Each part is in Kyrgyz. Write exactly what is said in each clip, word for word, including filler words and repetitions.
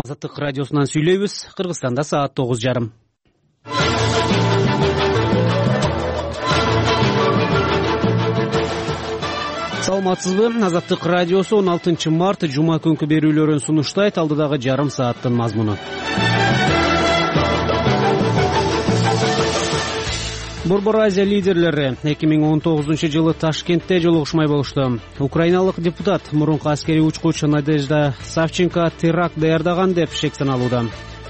Азаттык радиосунан сүйлөйбүз. Кыргызстанда саат тогуз жарым. Саламатсызбы? Азаттык радиосу он алтынчы март жума күнкү берүүлөрүн сунуштайт. Алдыдагы жарым сааттын мазмуну. Борбор Азия лидерлери эки миң он тогузунчу жылы Ташкентте жолугушмай болушту. Украиналык депутат мурунку аскерий учкучу Надежда Савченко теракт даярдаган деп шек саналууда.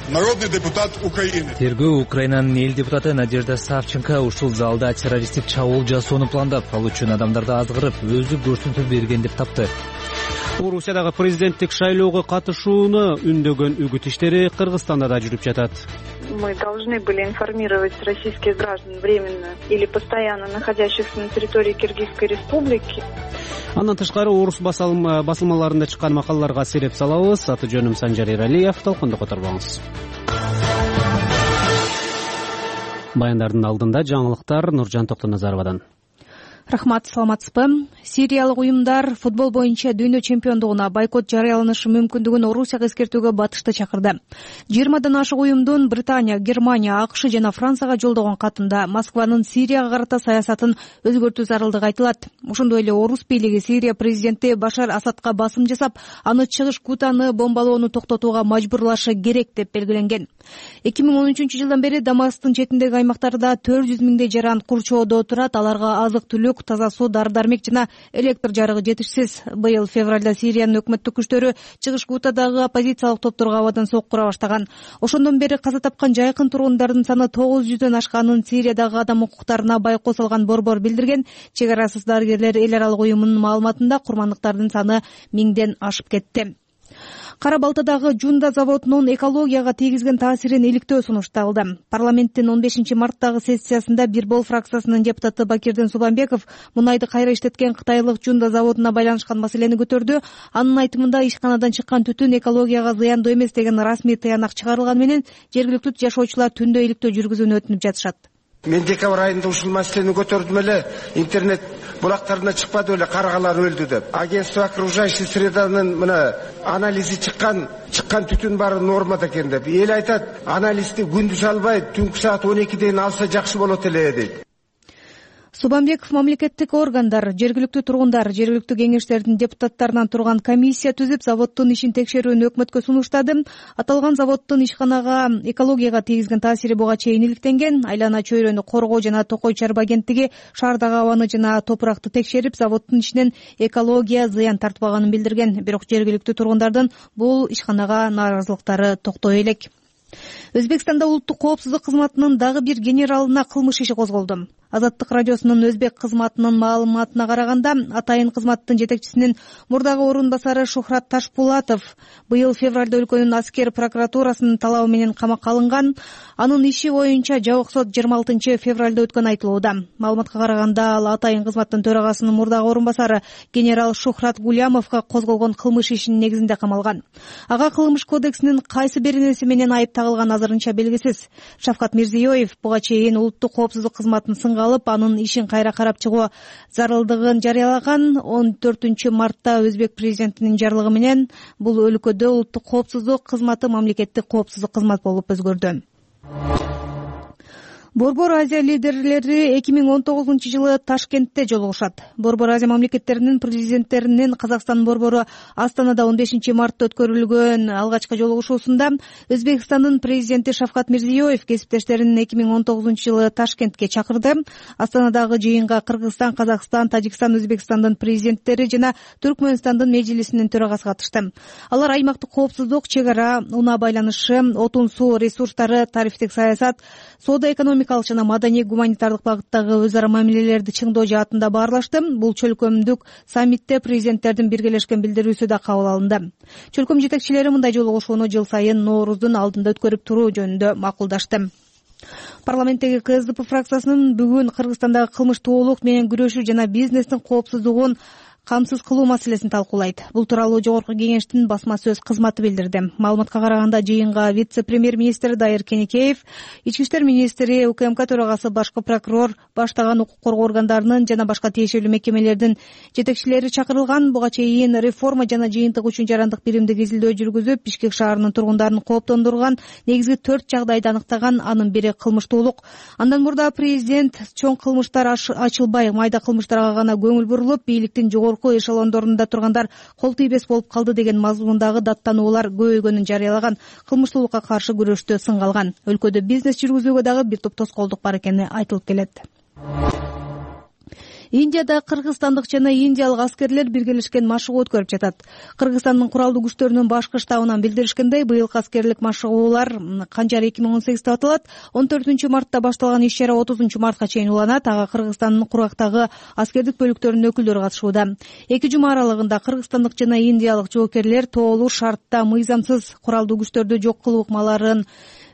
Народный депутат Украины. Тергөө Украинанын эл депутаты Надежда Савченко ушул залда террористтик чабуул жасоону пландап, ал үчүн адамдарды азгырып, өзү көрсөтүү берген деп тапты. Орусиядагы президенттик шайлоого катышууну үндөгөн үгүт иштери Кыргызстанда да жүрүп жатат. Мы должны были информировать российских граждан временно или постоянно находящихся на территории Киргизской республики. Андан тышкары орус басылмаларында чыккан макалаларга сереп салабыз. Аты жөнүм Санжар Эралиев. Талкунду которбоңуз. Баяндардын алдында жаңылыктар Нуржан Токтоназаровадан. Рахмат, саламатсызбы? Сириялык уюмдар футбол боюнча дүйнө чемпиондугуна бойкот жарыяланышы мүмкүндүгүн Орусияга эскертүүгө батышты чакырды. жыйырмадан ашык уюмдун Британия, Германия, АКШ жана Францияга жолдогон катында Москванын Сирияга карата саясатын өзгөртүү зарылдыгы айтылат. Ошондой эле орус бийлиги Сирия президенти Башар Асадка басым жасап, аны чыгыш Гутаны бомбалоону токтотууга мажбурлашы керек деп белгиленген. эки миң он үчүнчү жылдан бери Дамасктын четиндеги аймактарда төрт жүз миңдей жаран курчоодо турат. Аларга азык-түлүк, таза суу, дары-дармек жана электр жарыгы жетишсиз. Быйыл февралда Сириянын өкмөттүк күчтөрү чыгыш Гутадагы оппозициялык топторго абадан соккура баштаган. Ошондон бери каза тапкан жайкын тургундардын саны тогуз жүздөн ашканын Сириядагы адам укуктарына байкоо салган борбор билдирген. Чек арасыз дарыгерлер эл аралык уюмунун маалыматында курмандыктардын саны миңден ашып кетти. Кара Балтадагы Жунда заводунун экологияга тийгизген таасирин иликтөө сунушталды. Парламенттин он бешинчи марттагы сессиясында Бирбол фракциясынын депутаты Бакирдин Субанбеков мунайды кайра иштеткен кытайлык Жунда заводуна байланышкан маселени көтөрдү. Анын айтымында ишканадан чыккан түтүн экологияга зыяндуу эмес деген расмий таянак чыгарылган менен жергиликтүү жашоочулар түндө иликтөө жүргүзүүнү өтүнүп жатышат. Мен декабрь айында ушул маселени көтөрдүм эле, интернет булактарына чыкпады эле, каргалар өлдү деп. Агентство окружающей среданын мына анализи чыккан, чыккан түтүн баары нормада экен деп. Эл айтат, анализди күндүз албай, түнкү саат он экиден алса жакшы болот эле дейт. Субанбеков мамлекеттик органдар, жергиликтүү тургундар, жергиликтүү кеңештердин депутаттарынан турган комиссия түзүп, заводдун ишин текшерүүнү өкмөткө сунуштады. Аталган заводдун ишканага экологияга тийгизген таасири буга чейин иликтенген. Айлана чөйрөнү коргоо жана Токой чарба агенттиги шаардагы абаны жана топуракты текшерип, заводдун ишинен экология зыян тартпаганын билдирген. Бирок жергиликтүү тургундардын бул ишканага нааразылыктары токтой элек. Өзбекстанда улуттук коопсуздук кызматынын дагы бир генералына кылмыш иши козголду. Азаттык радиосунун өзбек кызматынын маалыматына караганда, атайын кызматтын жетекчисинин мурдагы орун басары Шухрат Ташпулатов быйыл февралда өлкөнүн аскер прокуратурасынын талабы менен камакка алынган. Анын иши боюнча жабык сот жыйырма алтынчы февралда өткөн айтылууда. Маалыматка караганда, ал атайын кызматтын төрагасынын мурдагы орун басары генерал Шухрат Гулямовго козголгон кылмыш ишинин негизинде камалган. Ага кылмыш кодексинин кайсы беренеси менен айып тагылган азырынча белгисиз. Шавкат Мирзиёев буга чейин улуттук коопсуздук кызматын алып, анын ишин кайра карап чыгуу зарылдыгын жарыялаган. он төртүнчү мартта өзбек президентинин жарлыгы менен бул өлкөдө улуттук коопсуздук кызматы мамлекеттик коопсуздук кызмат болуп өзгөрдү. Борбор Азия лидерлери эки миң он тогузунчу жылы Ташкентте жолугушат. Борбор Азия мамлекеттеринин президенттеринин Казакстан борбору Астанада он бешинчи мартта өткөрүлгөн алгачкы жолугушуусунда Өзбекстандын президенти Шавкат Мирзиёев кесиптештерин эки миң он тогузунчу жылы Ташкентке чакырды. Астанадагы жыйынга Кыргызстан, Казакстан, Тажикстан, Өзбекстандын президенттери жана Түркмөнстандын межлисинин төрагасы катышты. Алар аймактык коопсуздук, чек ара, унаа байланышы, отун суу ресурстары, тарифтик саясат, соода экономика жана маданий гуманитардык багыттагы өз ара мамилелерди чыңдоо жаатында баарлашты. Бул чөлкөмдүк саммитте президенттердин биргелешкен билдирүүсү да кабыл алынды. Чөлкөм жетекчилери мындай жолугушууну жыл сайын Нооруздун алдында өткөрүп туруу жөнүндө макулдашты. Парламенттеги КСДП фракциясынын бүгүн Кыргызстандагы кылмыштуулук менен күрөшүү жана бизнестин коопсуздугун камсыз кылуу маселесин талкуулайт. Бул тууралуу Жогорку Кеңештин басма сөз кызматы билдирди. Маалыматка караганда жыйынга вице-премьер-министр Дайыр Кенекеев, ички иштер министри, УКМК төрагасы, башкы прокурор, баштаган укук коргоо органдарынын жана башка тиешелүү мекемелердин жетекчилери чакырылган. Буга чейин реформа жана жыйынтык үчүн жарандык биримдик изилдөө жүргүзүп, Бишкек шаарынын тургундарын кооптондурган негизги төрт жагдайды аныктаган. Анын бири кылмыштуулук. Андан мурда президент чоң кылмыштар ачылбай, майда кылмыштарга гана көңүл бурулуп, бийликтин жогорку эшелондорунда тургандар кол тийбес болуп калды деген мазмундагы даттануулар көбөйгөнүн жарыялаган. Кылмыштуулукка каршы күрөштө сынга алган. Өлкөдө бизнес жүргүзүүгө дагы бир топ тоскоолдук бар экени айтылып келет. Индияда кыргызстандык жана индиялык аскерлер биргелешкен машыгуу өткөрүп жатат. Кыргызстандын куралдуу күчтөрүнүн башкы штабынан билдиришкендей, быйылкы аскерлик машыгуулар Канжар эки миң он сегиз деп аталат. он төртүнчү мартта башталган иш-чара отузунчу мартка чейин уланат. Ага Кыргызстандын курактагы аскердик бөлүктөрүнүн өкүлдөрү катышууда. Эки жума аралыгында кыргызстандык жана индиялык жоокерлер тоолуу шартта мыйзамсыз куралдуу күчтөрдү жок кылуу ыкмаларын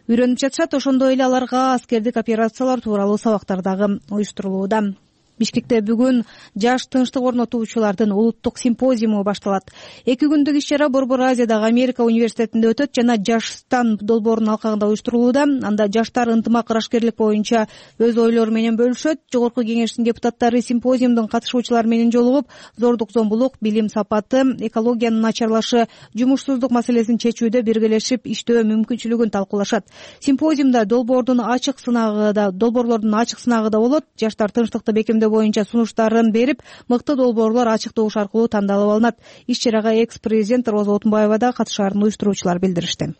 үйрөнүп жатышат. Ошондой эле аларга аскердик операциялар тууралуу сабактар дагы уюштурулууда. Бишкекте бүгүн жаш тынчтык орнотуучулардын улуттук симпозиуму башталат. Эки күндүк иш-чара Борбор Азиядагы Америка университетинде өтөт жана Жаштан долбоорунун алкагында уюштурулууда. Анда жаштар ынтымак ырашкерлик боюнча өз ойлору менен бөлүшөт. Жогорку Кеңештин депутаттары симпозиумдун катышуучулары менен жолугуп, зордук зомбулук, билим сапаты, экологиянын начарлашы, жумушсуздук маселесин чечүүдө биргелешип иштөө мүмкүнчүлүгүн талкуулашат. Симпозиумда долбоордун ачык сынагы да, долбоорлордун ачык сынагы да болот. Жаштар тынчтыкты бекемдөө боюнча сунуштарын берип, мыкты долбоорлор ачык добуш аркылуу тандалып алынат. Иш-чарага экс-президент Роза Отунбаева да катышаарын уюштуруучулар билдиришти.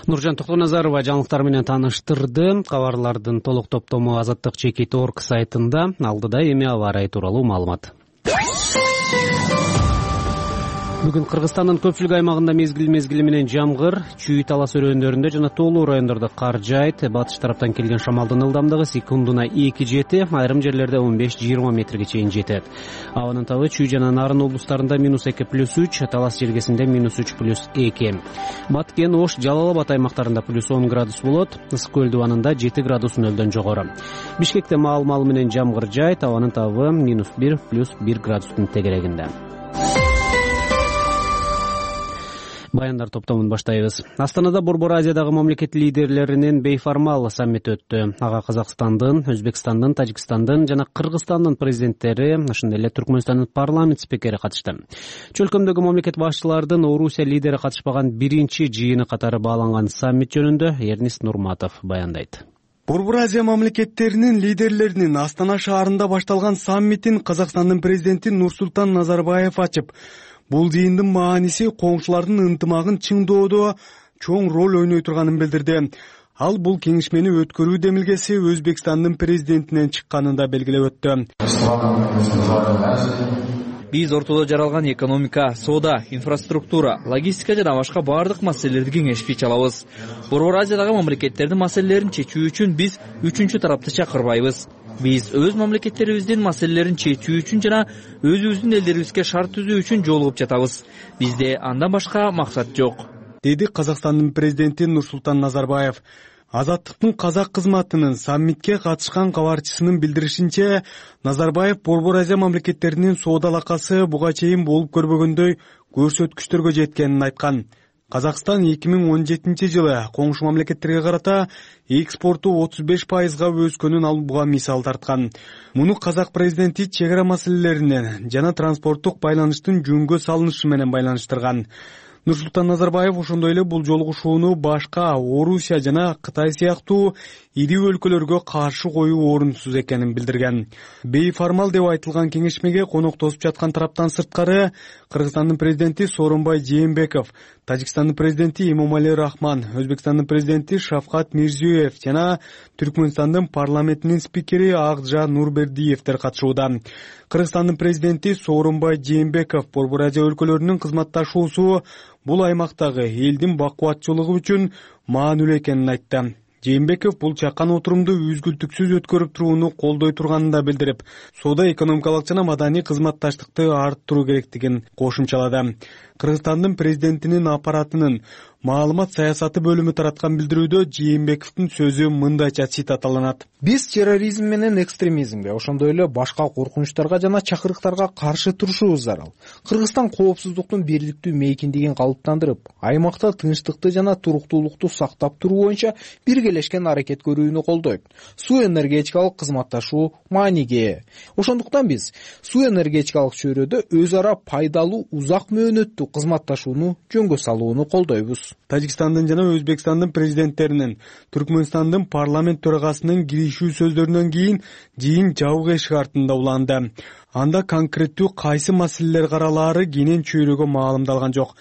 Нуржан Токтоназарова жаңылыктар менен тааныштырды. Кабарлардын толук топтому Азаттык чекит точка орг сайтында. Алдыда эми аба ырайы тууралуу маалымат. Бүгүн Кыргызстандын көпчүлүк аймагында мезгил мезгили менен жамгыр, Чүй талас өрөөндөрүндө жана тоолуу райондордо кар жаайт. Батыш тараптан келген шамалдын ылдамдыгы секундуна эки жети, айрым жерлерде он беш жыйырма метрге чейин жетет. Абанын табы Чүй жана Нарын облустарында минус эки плюс үч, талас желгесинде минус үч плюс эки. Баткен, Ош, Жалал Абад аймактарында плюс он градус болот. Ысык көл дубанында жети градус нөлдөн жогору. Бишкекте маал-маал менен жамгыр жаайт. Абанын табы минус бир плюс бир градустун тегерегинде. Баяндар топтомун баштайбыз. Астанада Борбор Азиядагы мамлекет лидерлеринин бейформал саммити өттү. Ага Казакстандын, Өзбекстандын, Тажикстандын жана Кыргызстандын президенттери, ошондой эле Түркмөнстандын парламент спикери катышты. Чөлкөмдөгү мамлекет башчылардын Орусия лидери катышпаган биринчи жыйыны катары бааланган саммит жөнүндө Эрнис Нурматов баяндайт. Борбор Азия мамлекеттеринин лидерлеринин Астана шаарында башталган саммитин Казакстандын президенти Нурсултан Назарбаев ачып, бул жыйындын мааниси коңшулардын ынтымагын чыңдоодо чоң роль ойной турганын билдирди. Ал бул кеңешмени өткөрүү демилгеси Өзбекстандын президентинен чыкканын да белгилеп өттү. Биз ортодо жаралган экономика, соода, инфраструктура, логистика жана башка баардык маселелерди кеңешип чалабыз. Борбор Азиядагы мамлекеттердин маселелерин чечүү үчүн биз үчүнчү тарапты чакырбайбыз. Биз өз мамлекеттерибиздин маселелерин чечүү үчүн жана өзүбүздүн элдерибизге шарт түзүү үчүн жолугуп жатабыз. Бизде андан башка максат жок, деди Казакстандын президенти Нурсултан Назарбаев. Азаттыктын казак кызматынын саммитке катышкан кабарчысынын билдиришинче, Назарбаев Борбор Азия мамлекеттеринин соода алакасы буга чейин болуп көрбөгөндөй көрсөткүчтөргө жеткенин айткан. Казакстан эки миң он жетинчи жылы коңшу мамлекеттерге карата экспорту отуз беш пайызга өскөнүн ал буга мисал тарткан. Муну казак президенти чек ара маселелеринен жана транспорттук байланыштын жөнгө салынышы менен байланыштырган. Нурсултан Назарбаев ошондой эле бул жолугушууну башка Орусия жана Кытай сыяктуу ири өлкөлөргө каршы коюу орунсуз экенин билдирген. Бейформал деп айтылган кеңешмеге конок тосуп жаткан тараптан сырткары Кыргызстандын президенти Сооронбай Жээнбеков, Тажикстандын президенти Эмомали Рахман, Өзбекстандын президенти Шавкат Мирзиёев жана Түркмөнстандын парламентинин спикери Акжа Нурбердиевдер катышууда. Кыргызстандын президенти Сооронбай Жээнбеков Борбор Азия өлкөлөрүнүн кызматташуусу бул аймактагы элдин бакубатчылыгы үчүн маанилүү экенин айтты. Жээнбеков бул чакан отурумду үзгүлтүксүз өткөрүп турууну колдой турганын да билдирип, соода экономикалык жана маданий кызматташтыкты арттыруу керектигин кошумчалады. Кыргызстандын президентинин аппаратынын маалымат саясаты бөлүмү тараткан билдирүүдө Жээнбековдун сөзү мындайча цитаталанат. Биз терроризм менен экстремизмге, ошондой эле башка коркунучтарга жана чакырыктарга каршы турушубуз зарыл. Кыргызстан коопсуздуктун бийликтүү мейкиндигин калыптандырып, аймакта тынчтыкты жана туруктуулукту сактап туруу боюнча биргелешкен аракет көрүүнү колдойт. Суу энергетикалык кызматташуу мааниге ээ. Ошондуктан биз суу энергетикалык чөйрөдө өз ара пайдалуу узак мөөнөттүү кызматташууну жөнгө салууну колдойбуз. Тажикстандын жана Өзбекстандын президенттеринин, Түркмөнстандын парламент төрагасынын киришүү сөздөрүнөн кийин жыйын жабык эшик артында уланды. Анда конкреттүү кайсы маселелер каралаары кенен чөйрөгө маалымдалган жок.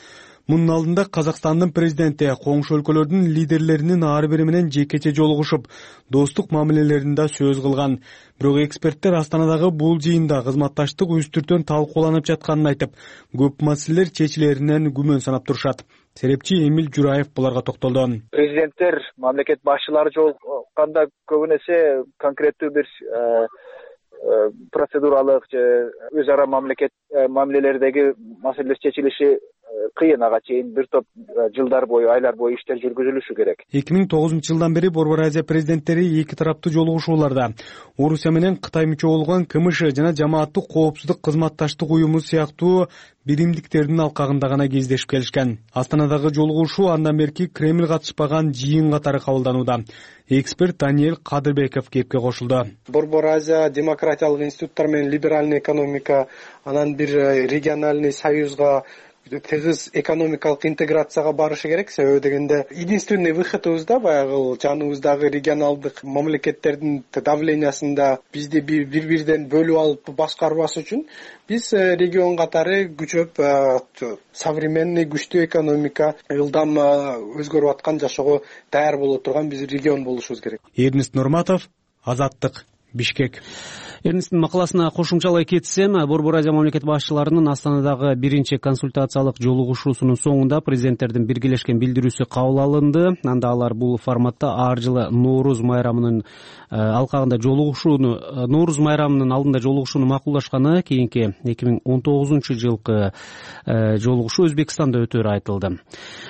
Мунун алдында Казакстандын президенти коңшу өлкөлөрдүн лидерлеринин ар бири менен жекече жолугушуп, достук мамилелеринде сөз кылган. Бирок эксперттер Астанадагы бул жыйында кызматташтык үстүртөн талкууланып жатканын айтып, көп маселелер чечилеринен күмөн санап турушат. Серепчи Эмил Жураев буларга токтолду. Президенттер, мамлекет башчылары жолукканда көбүн эсе конкреттүү бир процедуралык же өз ара мамлекет мамилелердеги маселелер чечилиши кыйын, ага чейин бир топ жылдар бою, айлар бою иштер жүргүзүлүшү керек. эки миң тогузунчу жылдан бери Борбор Азия президенттери эки тараптуу жолугушууларда Орусия менен Кытай мүчө болгон КМШ жана Жамааттык коопсуздук кызматташтык уюму сыяктуу биримдиктердин алкагында гана кездешип келишкен. Астанадагы жолугушуу андан берки Кремль катышпаган жыйын катары кабылданууда. Эксперт Даниэль Кадырбеков кепке кошулду. Борбор Азия демократиялык институттар менен либеральный экономика, анан бир региональный союзга, тыгыз экономикалык интеграцияга барышы керек. Себеби дегенде единственный выходыбыз да баягы жаныбыздагы регионалдык мамлекеттердин давлениясында бизди бири-бириден бөлүп алып башкарбас үчүн биз регион катары күчөп, современный күчтүү экономика, ылдам өзгөрүп аткан, жашоого даяр боло турган биз регион болушубуз керек. Эрнест Нурматов, Азаттык, Бишкек. Эрнесттин макаласына кошумчалай кетсем, Борбор Азия мамлекет башчыларынын Астанадагы биринчи консультациялык жолугушуусунун соңунда президенттердин биргелешкен билдирүүсү кабыл алынды. Анда алар бул форматта ар жылы Нооруз майрамынын алкагында жолугушууну, Нооруз майрамынын алдында жолугушууну макулдашканы, кийинки эки миң он тогузунчу жылкы жолугушуу Өзбекстанда өтөөрү айтылды.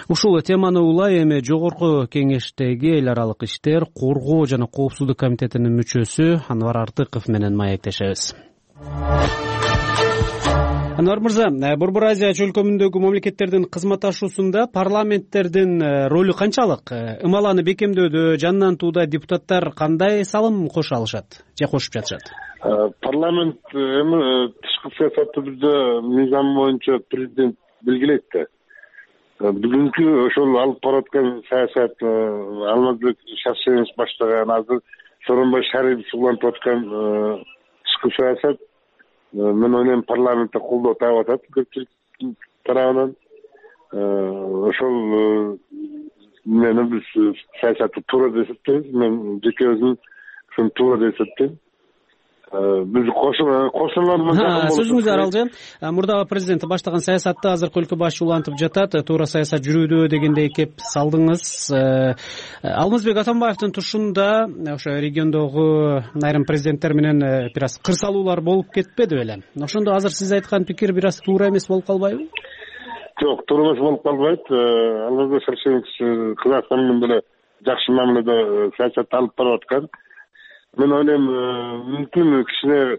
Ушул теманы улай эми Жогорку кеңештеги эл аралык иштер, коргоо жана коопсуздук комитетинин мүчөсү Анвар Артыков менен маектешебиз. Анвар мырза, Борбор Азия чөлкөмүндөгү мамлекеттердин кызматташуусунда парламенттердин ролу канчалык? Ымаланы бекемдөөдө, жандантууда депутаттар кандай салым кошо алышат же кошуп жатышат? Парламент эми тышкы саясатты бизде мыйзам боюнча президент белгилейт да. Бүгүнкү ошол алып бараткан саясат Алмазбек Шаршенович баштаган, азыр Сооронбай Шарипович улантып аткан тышкы саясат, мен ойлойм, парламентте колдоо таап атат көпчүлүк тарабынан. Ошол менен биз саясатты туура деп эсептейбиз. Мен жеке өзүм ушуну туура деп эсептейм. Биз кошуналардан жакын болуш. Сөзүңүз аралжы. Мурдагы президент баштаган саясатты азыркы өлкө башчы улантып жатат. Туура саясат жүрүүдө дегендей кеп салдыңыз. Алмазбек Атамбаевдин тушунда ошо региондогу айрым президенттер менен бир аз кырсалуулар болуп кетпеди беле? Ошондо азыр сиз айткан пикир бир аз туура эмес болуп калбайбы? Жок, туура эмес болуп калбайт. Алмазбек Шаршенович Казакстан менен деле жакшы мамиледе саясат алып барып аткан. Мен ойлойм, мүмкүн кичине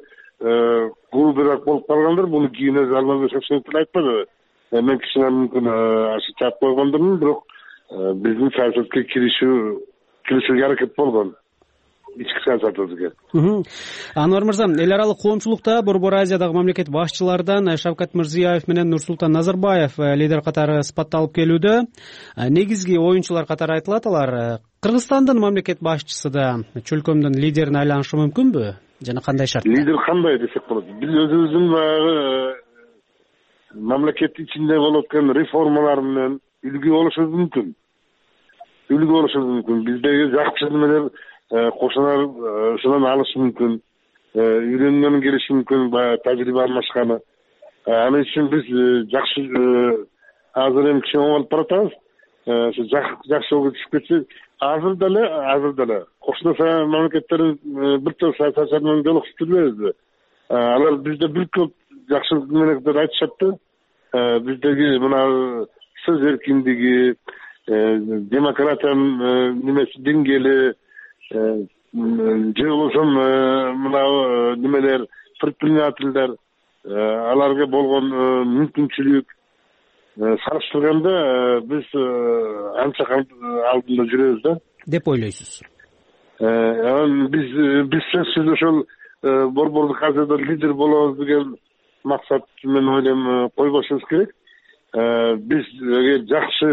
кулдураак болуп калгандыр. Буну кийин өзү Алмазбек Шаршенович айтпады. Мен кичине мүмкүн ашык чаап койгондурмун, бирок биздин саясатка киришүү киришүүгө аракет болгон. Ички саясатыбызга. Анвар мырза, эл аралык коомчулукта Борбор Азиядагы мамлекет башчылардан Шавкат Мирзиёев менен Нурсултан Назарбаев лидер катары сыпатталып келүүдө. Негизги оюнчулар катары айтылат алар. Кыргызстандын мамлекет башчысы да чөлкөмдүн лидерине айланышы мүмкүнбү? Жана кандай шарт? Лидер кандай десек болот. Биз өзүбүздүн баягы мамлекет ичинде болуп аткан реформалар менен үлгү болушубуз мүмкүн. Үлгү болушубуз мүмкүн. Биздеги жакшы немелер кошуналар ушунан алышы мүмкүн. Үйрөнгөнү келиши мүмкүн, баягы тажрыйба алмашканы. Анын үчүн биз жакшы азыр эми кичине оңолуп баратабыз. Ошо жакшы жолго түшүп кетсек, азыр деле, азыр деле кошуна мамлекеттердин бир топ саясатчылар менен жолугушуп жүрбөйбүзбү? Алар бизде бир көп жакшы мамлекеттер айтышат да. биздеги мына сөз эркиндиги, демократиянын немеси деңгээли же болбосо мына немелер предпринимательдер аларга болгон мүмкүнчүлүк салыштырганда биз анча алдында жүрөбүз да деп ойлойсуз. Биз биз сөзсүз ошол борбордук азияда лидер болобуз деген максат мен ойлойм койбошубуз керек. Биз жакшы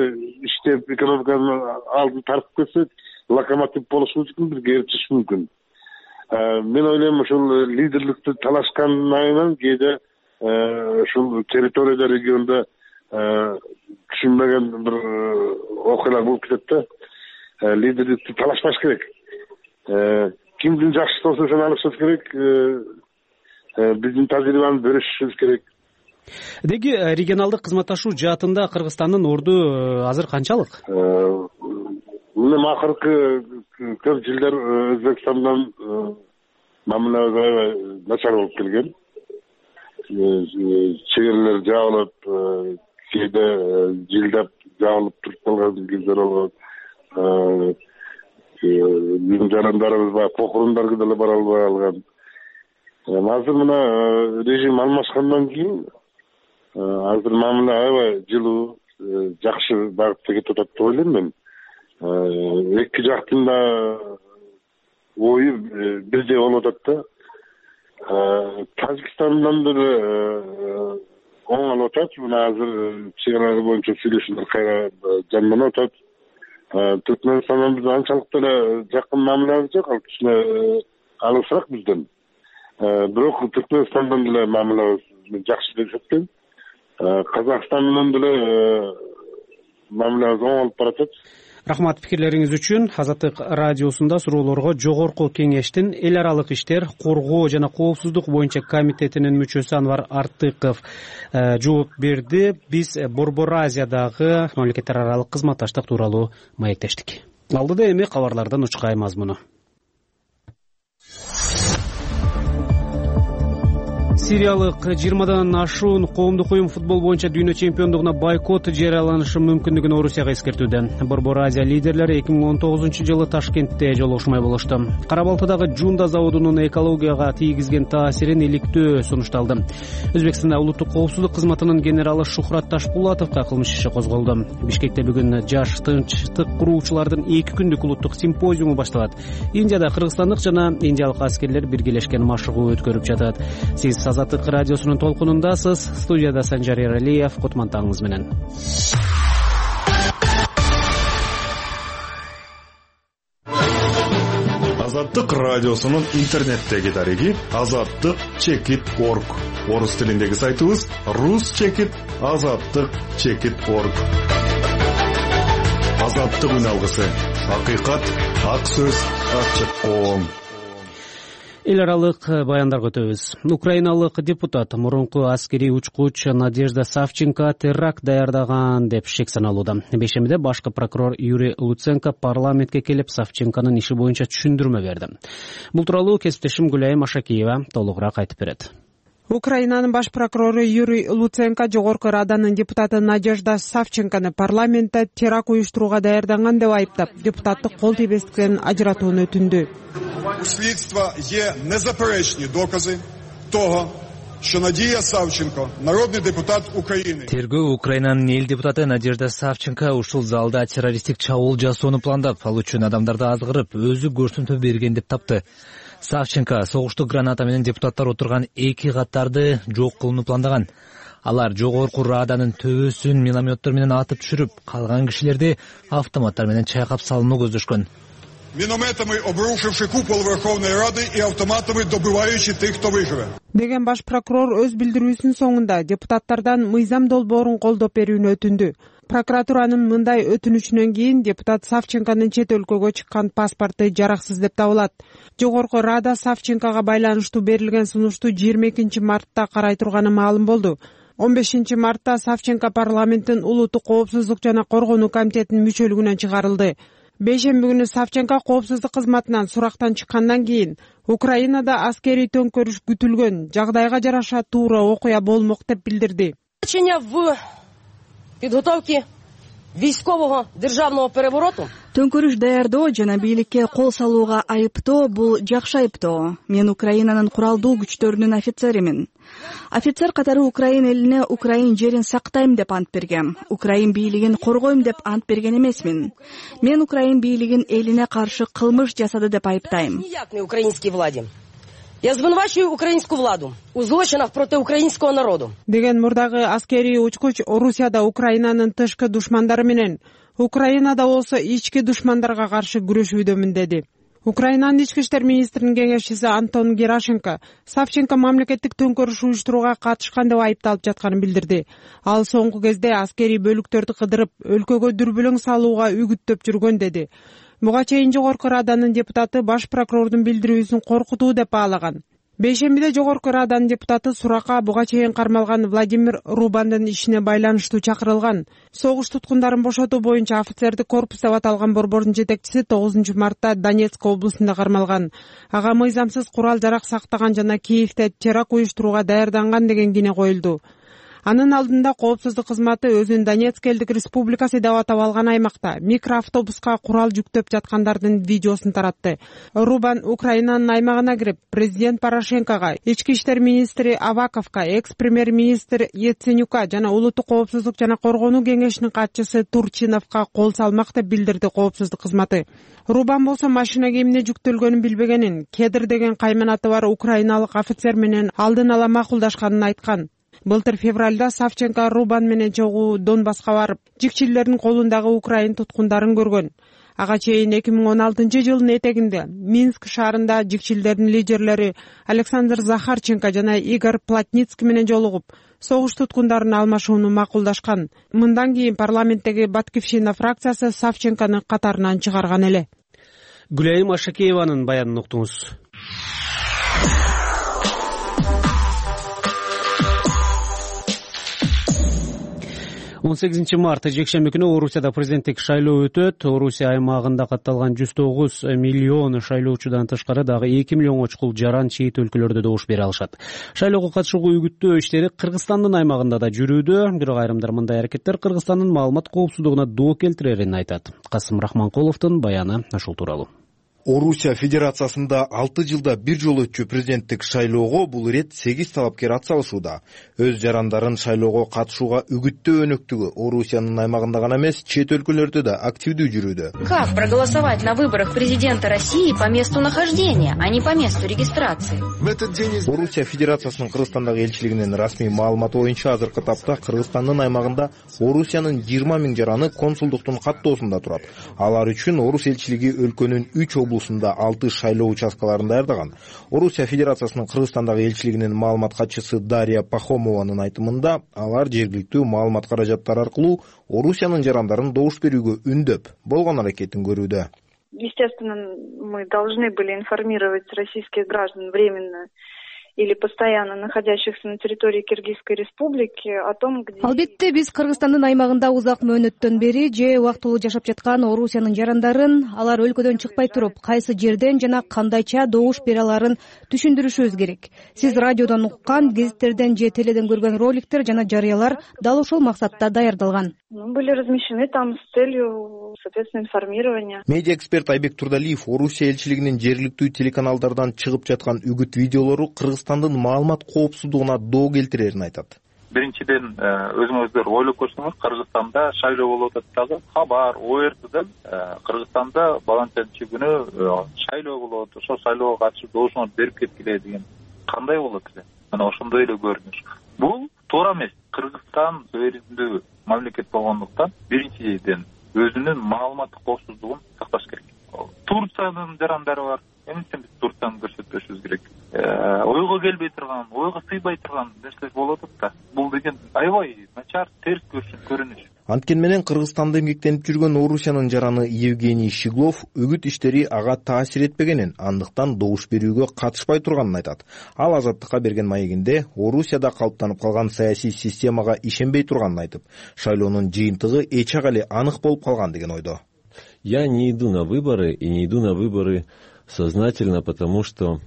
иштеп экономиканын алдын тартып кетсек, локомотив болушубуз үчүн бизге эришиш мүмкүн. Мен ойлойм ошол лидерликти талашкандан айынан кээде ушул территорияда, региондо түшүнбөгөн бир окуялар болуп кетет да. Лидерликти талашпаш керек. Кимдин жакшысы болсо ошону алышыбыз керек. Биздин тажрыйбаны бөлүшүшүбүз керек. Деги регионалдык кызматташуу жаатында Кыргызстандын орду азыр канчалык? Мен акыркы көп жылдар Өзбекстандан мамилебиз аябай начар болуп келген. Чегелер жабылып, кээде жылдап жабылып туруп калган кездер болгон. Биздин жарандарыбыз баягы похорондарга деле бара албай калган. Азыр мына режим алмашкандан кийин азыр мамиле аябай жылуу, жакшы багытта кетип атат деп ойлойм мен. Эки жактын да ою бирдей болуп атат да. Тажикстандан деле оң алып атат. Мына азыр чек аралар боюнча сүйлөшүүлөр кайра жанданып атат. Түркмөнстандан биз анчалык деле жакын мамилебиз жок, ал кичине алысыраак бизден. Бирок Түркмөнстандан деле мамилебиз жакшы деп эсептейм. Казакстан менен деле мамилебиз оң алып баратат. Рахмат пикирлериңиз үчүн. Азаттык радиосунда суроолорго Жогорку Кеңештин эл аралык иштер, коргоо жана коопсуздук боюнча комитетинин мүчөсү Анвар Артыков жооп берди. Биз Борбор Азиядагы мамлекеттер аралык кызматташтык тууралуу маектештик. Алдыда эми кабарлардан учкай мазмуну. Сириялык жыйырмадан ашуун коомдук уюм футбол боюнча дүйнө чемпиондугуна бойкот жарыяланышы мүмкүндүгүн Орусияга эскертүүдө. Борбор Азия лидерлери эки миң он тогузунчу жылы Ташкентте жолугушмай болушту. Кара Балтыдагы Жунда заводунун экологияга тийгизген таасирин иликтөө сунушталды. Өзбекстанда улуттук коопсуздук кызматынын генералы Шухрат Ташпулатовго кылмыш иши козголду. Бишкекте бүгүн жаш тынчтык куруучулардын эки күндүк улуттук симпозиуму башталат. Индияда кыргызстандык жана индиялык аскерлер биргелешкен машыгуу өткөрүп жатат. Сиз Азаттык радиосунун толкунундасыз. Студияда Санжар Эралиев, Кутмантаңыз менен. Азаттык радиосунун интернеттеги дареги азаттык чекит точка орг. Орус тилиндеги сайтыбыз рус чекит азаттык чекит точка орг. Азаттык үн алгысы. Акыйкат, ак сөз, ачык коом. Эл аралык баяндарга өтөбүз. Украиналык депутат мурунку аскерий учкуч Надежда Савченко теракт даярдаган деп шек саналууда. Бейшембиде башкы прокурор Юрий Луценко парламентке келип Савченконун иши боюнча түшүндүрмө берди. Бул тууралуу кесиптешим Гүлайым Ашакиева толугураак айтып берет. Украинанын баш прокурору Юрий Луценко Жогорку Раданын депутаты Надежда Савченкону парламентте теракт уюштурууга даярданган деп айыптап, депутаттык кол тийбестиктен ажыратууну өтүндү. У слідства є незаперечні докази того, що Надія Савченко, народний депутат України. Тергөө Украинанын эл депутаты Надежда Савченко ушул залда террористтик чабуул жасоону пландап, ал үчүн адамдарды азгырып, өзү көрсөтмө берген деп тапты. Савченко согуштук граната менен депутаттар отурган эки каттарды жок кылууну пландаган. Алар Жогорку Раданын төбөсүн минометтор менен атып түшүрүп, калган кишилерди автоматтар менен чайкап салууну көздөшкөн. Мінометами обрушивши купол Верховної Ради і автоматами добиваючи тих, хто виживе. Деген баш прокурор өз билдирүүсүнүн соңунда депутаттардан мыйзам долбоорун колдоп берүүнү өтүндү. Прокуратуранын мындай өтүнүчүнөн кийин депутат Савченконун чет өлкөгө чыккан паспорту жараксыз деп табылат. Жогорку Рада Савченкого байланыштуу берилген сунушту жыйырма экинчи мартта карай турганы маалым болду. он бешинчи мартта Савченко парламенттин улуттук коопсуздук жана коргонуу комитетинин мүчөлүгүнөн чыгарылды. Бейшемби күнү Савченко коопсуздук кызматынан сурактан чыккандан кийин Украинада аскерий төңкөрүш күтүлгөн, жагдайга жараша туура окуя болмок деп билдирди. в подготовке військового державного перевороту. Төңкөрүш даярдоо жана бийликке кол салууга айыптоо — бул жакшы айыптоо. Мен Украинанын куралдуу күчтөрүнүн офицеримин. Офицер катары Украин элине Украин жерин сактайм деп ант бергем. Украин бийлигин коргойм деп ант берген эмесмин. Мен Украин бийлигин элине каршы кылмыш жасады деп айыптайм. Украинский влади. Я звинувачую украинскую владу у злочинах против украинского народу. Деген мурдагы аскерий учкуч Орусияда Украинанын тышкы душмандары менен Украинада болсо ички душмандарга каршы күрөшүүдөмүн деди. Украинанын ички иштер министринин кеңешчиси Антон Герашенко Савченко мамлекеттик төңкөрүш уюштурууга катышкан деп айыпталып жатканын билдирди. Ал соңку кезде аскерий бөлүктөрдү кыдырып, өлкөгө дүрбүлөң салууга үгүттөп жүргөн деди. Буга чейин Жогорку Раданын депутаты баш прокурордун билдирүүсүн коркутуу деп баалаган. Бейшембиде Жогорку Раданын депутаты суракка буга чейин кармалган Владимир Рубандын ишине байланыштуу чакырылган. Согуш туткундарын бошотуу боюнча офицердик корпус деп аталган борбордун жетекчиси тогузунчу мартта Донецк облусунда кармалган. Ага мыйзамсыз курал жарак сактаган жана Киевде теракт уюштурууга даярданган деген кине коюлду. Анын алдында коопсуздук кызматы өзүн Донецк элдик республикасы деп атап алган аймакта микроавтобуска курал жүктөп жаткандардын видеосун таратты. Рубан Украинанын аймагына кирип, президент Порошенкого, ички иштер министри Аваковго, экс-премьер-министр Яценюка жана улуттук коопсуздук жана коргонуу кеңешинин катчысы Турчиновго кол салмак деп билдирди коопсуздук кызматы. Рубан болсо машинага эмне жүктөлгөнүн билбегенин, Кедр деген кайманаты бар украиналык офицер менен алдын ала макулдашканын айткан. Былтыр февралда Савченко Рубан менен чогуу Донбасска барып, жикчилердин колундагы украин туткундарын көргөн. Ага чейин эки миң он алтынчы жылдын этегинде Минск шаарында жикчилердин лидерлери Александр Захарченко жана Игорь Плотницкий менен жолугуп, согуш туткундарын алмашууну макулдашкан. Мындан кийин парламенттеги Баткивщина фракциясы Савченкону катарынан чыгарган эле. Гүлайым Ашакееванын баянын уктуңуз. он сегизинчи март жекшемби күнү Орусияда президенттик шайлоо өтөт. Орусия аймагында катталган жүз тогуз миллион шайлоочудан тышкары дагы эки миллионго чукул жаран чейит өлкөлөрдө добуш бере алышат. Шайлоого катышууга үгүттөө иштери Кыргызстандын аймагында да жүрүүдө. Бирок айрымдар мындай аракеттер Кыргызстандын маалымат коопсуздугуна доо келтирерин айтат. Касым Рахманкуловдун баяны ушул тууралуу. Орусия Федерациясында алты жылда бир жолу өтчү президенттик шайлоого бул ирет сегиз талапкер ат салышууда. Өз жарандарын шайлоого катышууга үгүттөө өнөктүгү Орусиянын аймагында гана эмес, чет өлкөлөрдө да активдүү жүрүүдө. Как проголосовать на выборах президента России по месту нахождения, а не по месту регистрации? Орусия Федерациясынын Кыргызстандагы элчилигинин расмий маалыматы боюнча азыркы тапта Кыргызстандын аймагында Орусиянын жыйырма миң жараны консулдуктун каттоосунда турат. Алар үчүн Орус элчилиги өлкөнүн үч облусунда алты шайлоо участкаларын даярдаган. Орусия Федерациясынын Кыргызстандагы элчилигинин маалымат катчысы Дарья Пахомованын айтымында, алар жергиликтүү маалымат каражаттары аркылуу Орусиянын жарандарын добуш берүүгө үндөп, болгон аракетин көрүүдө. Естественно, мы должны были информировать российских граждан временно или постоянно находящихся на территории Киргизской республики о том, где... Албетте биз Кыргызстандын аймагында узак мөөнөттөн бери же убактылуу жашап жаткан Орусиянын жарандарын алар өлкөдөн чыкпай туруп, кайсы жерден жана кандайча добуш бере аларын түшүндүрүшүбүз керек. Сиз радиодон уккан, гезиттерден же теледен көргөн роликтер жана жарыялар дал ушул максатта даярдалган. Ну, были размещены там с целью, соответственно, информирования. Медиа-эксперт Айбек Турдалиев Орусия элчилигинин жергиликтүү телеканалдардан чыгып жаткан үгүт видеолору Кыргызстандын маалымат коопсуздугуна доо келтирерин айтат. Биринчиден, өзүңүздөр ойлоп көрсөңүз, Кыргызстанда шайлоо болуп атат дагы. Хабар, о эр теден Кыргызстанда баланчанчы күнү шайлоо болот, ошол шайлоого катышып добушуңарды берип кеткиле деген кандай болот эле? Мына ошондой эле көрүнүш. Бул туура эмес. Кыргызстан суверендүү мамлекет болгондуктан биринчиден өзүнүн маалыматтык коопсуздугун сакташ керек. Турциянын жарандары бар. Эмнестен биз Турцияны көрсөтпөшүбүз керек? Ойго келбей турган, ойго сыйбай турган нерсе болуп атат да. Бул деген аябай начар, терс көрүнүш. Анткени менен Кыргызстанда эмгектенип жүргөн Орусиянын жараны Евгений Щеглов үгүт иштери ага таасир этпегенин, андыктан добуш берүүгө катышпай турганын айтат. Ал Азаттыкка берген маегинде Орусияда калыптанып калган саясий системага ишенбей турганын айтып, шайлоонун жыйынтыгы эч ак эле анык болуп калган деген ойдо. Я не иду на выборы и не иду на выборы сознательно, потому что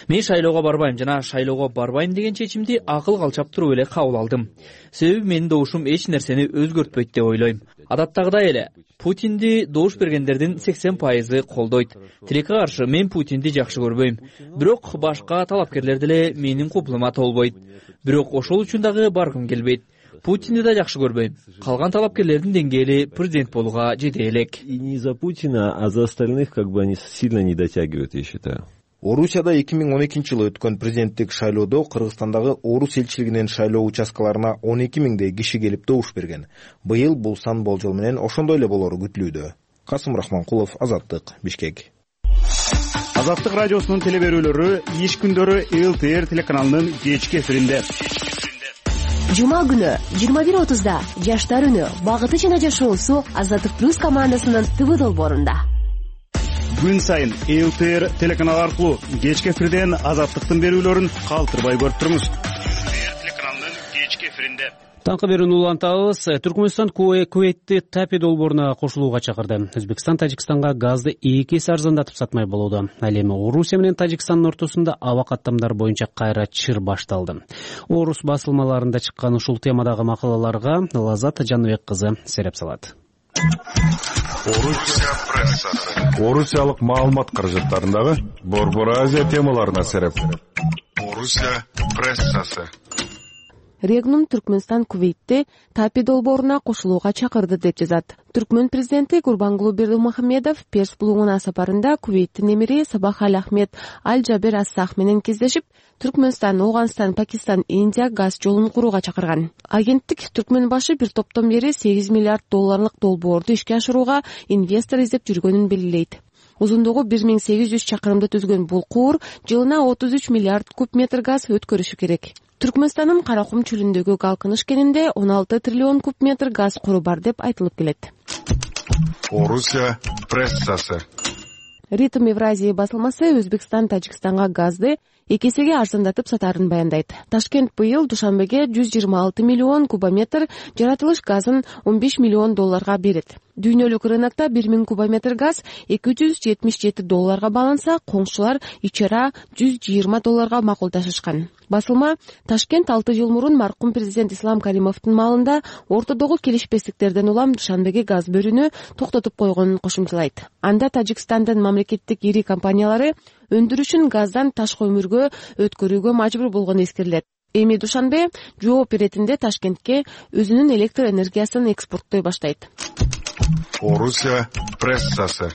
мен шайлоого барбайм жана шайлоого барбайм деген чечимди акыл калчап туруп эле кабыл алдым. Себеби менин добушум эч нерсени өзгөртпөйт деп ойлойм. Адаттагыдай эле Путинди добуш бергендердин сексен пайызы колдойт. Тилекке каршы мен Путинди жакшы көрбөйм. Бирок башка талапкерлер деле менин купулума толбойт. Бирок ошол үчүн дагы баргым келбейт. Путинди да жакшы көрбөйм. Калган талапкерлердин деңгээли президент болууга жете элек. И не за Путина, а за остальных как бы они сильно не дотягивают, я считаю. Орусияда эки миң он экинчи жылы өткөн президенттик шайлоодо Кыргызстандагы орус элчилигинин шайлоо участкаларына он эки миңдей киши келип добуш берген. Быйыл бул сан болжол менен ошондой эле болору күтүлүүдө. Касым Рахманкулов, Азаттык, Бишкек. Азаттык радиосунун телеберүүлөрү иш күндөрү эл тэ эр телеканалынын кечки эфиринде. Жума күнү жыйырма бир отузда Жаштар үнү багыты жана жашоосу Азаттык плюс командасынын ТВ долбоорунда. Күн сайын эл тэ эр телеканалы аркылуу кечки эфирден Азаттыктын берүүлөрүн калтырбай көрүп туруңуз. эл тэ эр телеканалынын кечки эфиринде. Таңкы берүүнү улантабыз. Түркмөнстан Кувейтти Тапи долбооруна кошулууга чакырды. Өзбекстан Тажикстанга газды эки эсе арзандатып сатмай болууда. Ал эми Орусия менен Тажикстандын ортосунда аба каттамдар боюнча кайра чыр башталды. Орус басылмаларында чыккан ушул темадагы макалаларга Лазат Жаныбек кызы сереп салат. Орусия прессасы. Орусиялык маалымат каражаттарындагы Борбор Азия темаларына сереп. Орусия прессасы. Регнум Түркмөнстан Кувейтти Тапи долбооруна кошулууга чакырды деп жазат. Түркмөн президенти Гурбангулы Бердымухамедов Перс булугуна сапарында Кувейттин эмири Сабах Аль Ахмед Аль Джабер Ас-Сах менен кездешип, Түркмөнстан, Ооганстан, Пакистан, Индия газ жолун курууга чакырган. Агенттик Түркмөн башы бир топтон бери сегиз миллиард долларлык долбоорду ишке ашырууга инвестор издеп жүргөнүн белгилейт. Узундугу бир миң сегиз жүз чакырымды түзгөн бул куур жылына отуз үч миллиард куб метр газ өткөрүшү керек. Түркмөнстандын Каракум чөлүндөгү Галкыныш кенинде он алты триллион куб метр газ куру бар деп айтылып келет. Орусия прессасы. Ритм Евразия басылмасы Өзбекстан Тажикстанга газды эки эсеге арзандатып сатарын баяндайт. Ташкент быйыл Душанбеге жүз жыйырма алты миллион кубометр жаратылыш газын он беш миллион долларга берет. Дүйнөлүк рынокто бир миң кубометр газ эки жүз жетимиш жети долларга бааланса, коңшулар ичара жүз жыйырма долларга макулдашышкан. Басылма Ташкент алты жыл мурун маркум президент Ислам Каримовдун маалында ортодогу келишпестиктерден улам Душанбеге газ берүүнү токтотуп койгонун кошумчалайт. Анда Тажикстандын мамлекеттик ири компаниялары өндүрүшүн газдан ташкы өмүргө өткөрүүгө мажбур болгону эскерилет. Эми Душанбе жооп беретинде Ташкентке өзүнүн электр энергиясын экспорттой баштайт. Орусия прессасы.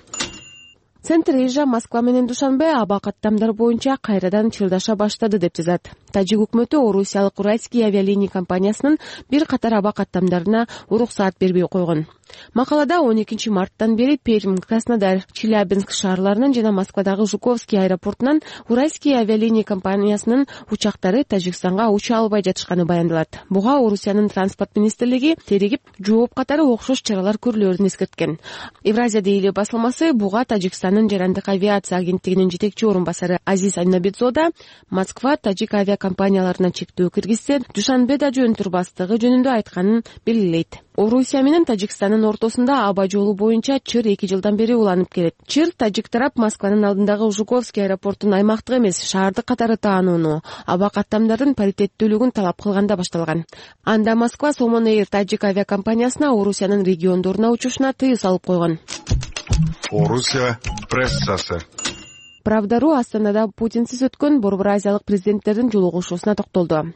Центр Эжа Москва менен Душанбе аба каттамдар боюнча кайрадан чырдаша баштады деп жазат. Тажик өкмөтү Орусиялык Уральский авиалиния компаниясынын бир катар аба каттамдарына уруксаат бербей койгон. Макалада он экинчи марттан бери Пермь, Краснодар, Челябинск шаарларынан жана Москвадагы Жуковский аэропортунан Уральский авиалиния компаниясынын учактары Тажикстанга уча албай жатышканы баяндалат. Буга Орусиянын транспорт министрлиги теригип, жооп катары окшош чаралар көрүлөрүн эскерткен. Евразия дейли басылмасы буга Тажикстандын жарандык авиация агенттигинин жетекчи орун басары Азиз Айнабидзода Москва тажик авиакомпанияларына чектөө киргизсе, Душанбеда жөн турбастыгы жөнүндө айтканын белгилейт. Орусия менен Тажикстандын ортосунда аба жолу боюнча чыр эки жылдан бери уланып келет. Чыр тажик тарап Москванын алдындагы Жуковский аэропортун аймактык эмес, шаардык катары таанууну, аба каттамдардын паритеттүүлүгүн талап кылганда башталган. Анда Москва Сомон Эйр тажик авиакомпаниясына Орусиянын региондоруна учушуна тыюу салып койгон. Орусия прессасы. Правдару Астанада Путинсиз өткөн Борбор Азиялык президенттердин жолугушуусуна токтолду.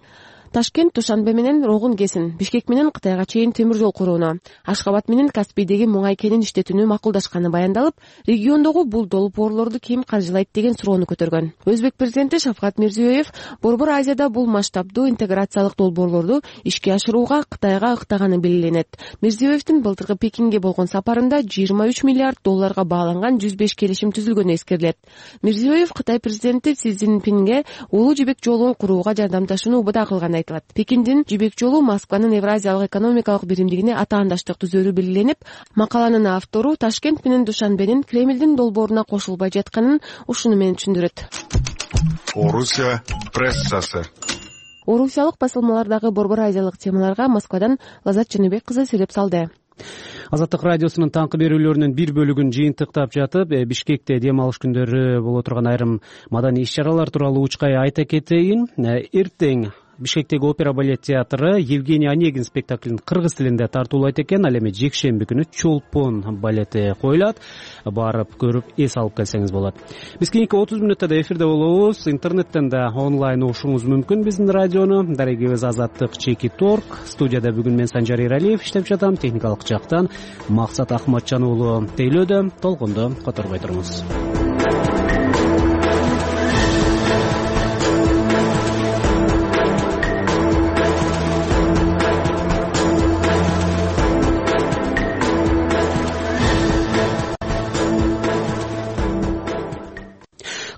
Ташкент Душанбе менен Рогун кесин, Бишкек менен Кытайга чейин темир жол курууну, Ашкабад менен Каспийдеги муңай кенин иштетүүнү макулдашканы баяндалып, региондогу бул долбоорлорду ким каржылайт деген суроону көтөргөн. Өзбек президенти Шавкат Мирзиёев Борбор Азияда бул масштабдуу интеграциялык долбоорлорду ишке ашырууга Кытайга ыктаганы белгиленет. Мирзиёевдин былтыркы Пекинге болгон сапарында жыйырма үч миллиард долларга бааланган жүз беш келишим түзүлгөнү эскерилет. Мирзиёев Кытай президенти Си Цзиньпинге улуу жибек жолун курууга жардамдашууну убада кылган. Пекиндин жибек жолу Москванын Евразиялык экономикалык биримдигине атаандаштык түзөрү белгиленип, макаланын автору Ташкент менен Душанбенин Кремлдин долбооруна кошулбай жатканын ушуну менен түшүндүрөт. Орусия прессасы. Орусиялык басылмалардагы Борбор Азиялык темаларга Москвадан Лазат Жаныбек кызы сереп салды. Азаттык радиосунун таңкы берүүлөрүнүн бир бөлүгүн жыйынтыктап жатып, Бишкекте дем алыш күндөрү боло турган айрым маданий иш-чаралар тууралуу учкай айта кетейин. Эртең Бишкектеги опера балет театры Евгений Онегин спектаклин кыргыз тилинде тартуулайт экен. Ал эми жекшемби күнү Чолпон балети коюлат. Барып көрүп эс алып келсеңиз болот. Биз кийинки отуз мүнөттө да эфирде болобуз. Интернеттен да онлайн угушуңуз мүмкүн биздин радиону. Дарегибиз Азаттык Чекит Орг. Студияда бүгүн мен Санжар Эралиев иштеп жатам. Техникалык жактан Максат Ахматжан уулу тейлөөдө. Толкунду которбой туруңуз.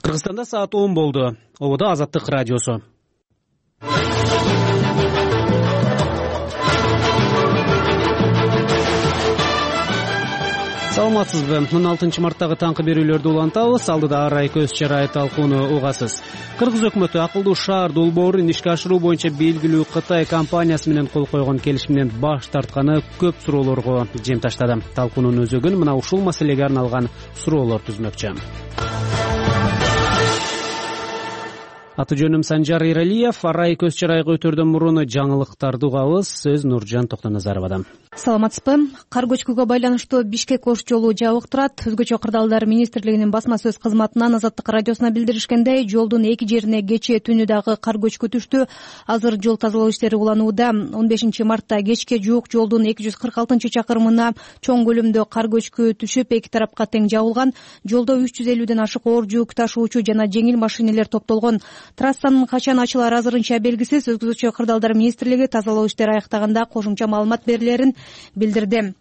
Кыргызстанда саат он болду. Ободо Азаттык радиосу. Саламатсызбы? он алтынчы марттагы таңкы берүүлөрдү улантабыз. Алдыда ар ай көз чарай талкууну угасыз. Кыргыз өкмөтү акылдуу шаар долбоорун ишке ашыруу боюнча белгилүү Кытай компаниясы менен кол койгон келишимден баш тартканы көп суроолорго жем таштады. Талкуунун өзөгүн мына ушул маселеге арналган суроолор түзмөкчү. Аты жөнүм Санжар Эралиев. Ар ай көз чарайга өтөрдөн мурун жаңылыктарды угабыз. Сөз Нуржан Токтоназаровадан. Саламатсызбы? Кар көчкүгө байланыштуу Бишкек ош жолу жабык турат. Өзгөчө кырдаалдар министрлигинин басма сөз кызматынан Азаттык радиосуна билдиришкендей, жолдун эки жерине кечээ түнү дагы кар көчкү түштү. Азыр жол тазалоо иштери уланууда. он бешинчи мартта кечке жуук жолдун эки жүз кырк алтынчы чакырымына чоң көлөмдө кар көчкү түшүп, эки тарапка тең жабылган. Жолдо үч жүз элүүдөн ашык оор жүк ташуучу жана жеңил машинелер топтолгон. Трассанын качан ачылары азырынча белгисиз. Өзгөчө кырдаалдар министрлиги тазалоо иштери аяктаганда кошумча маалымат берилерин билдирди.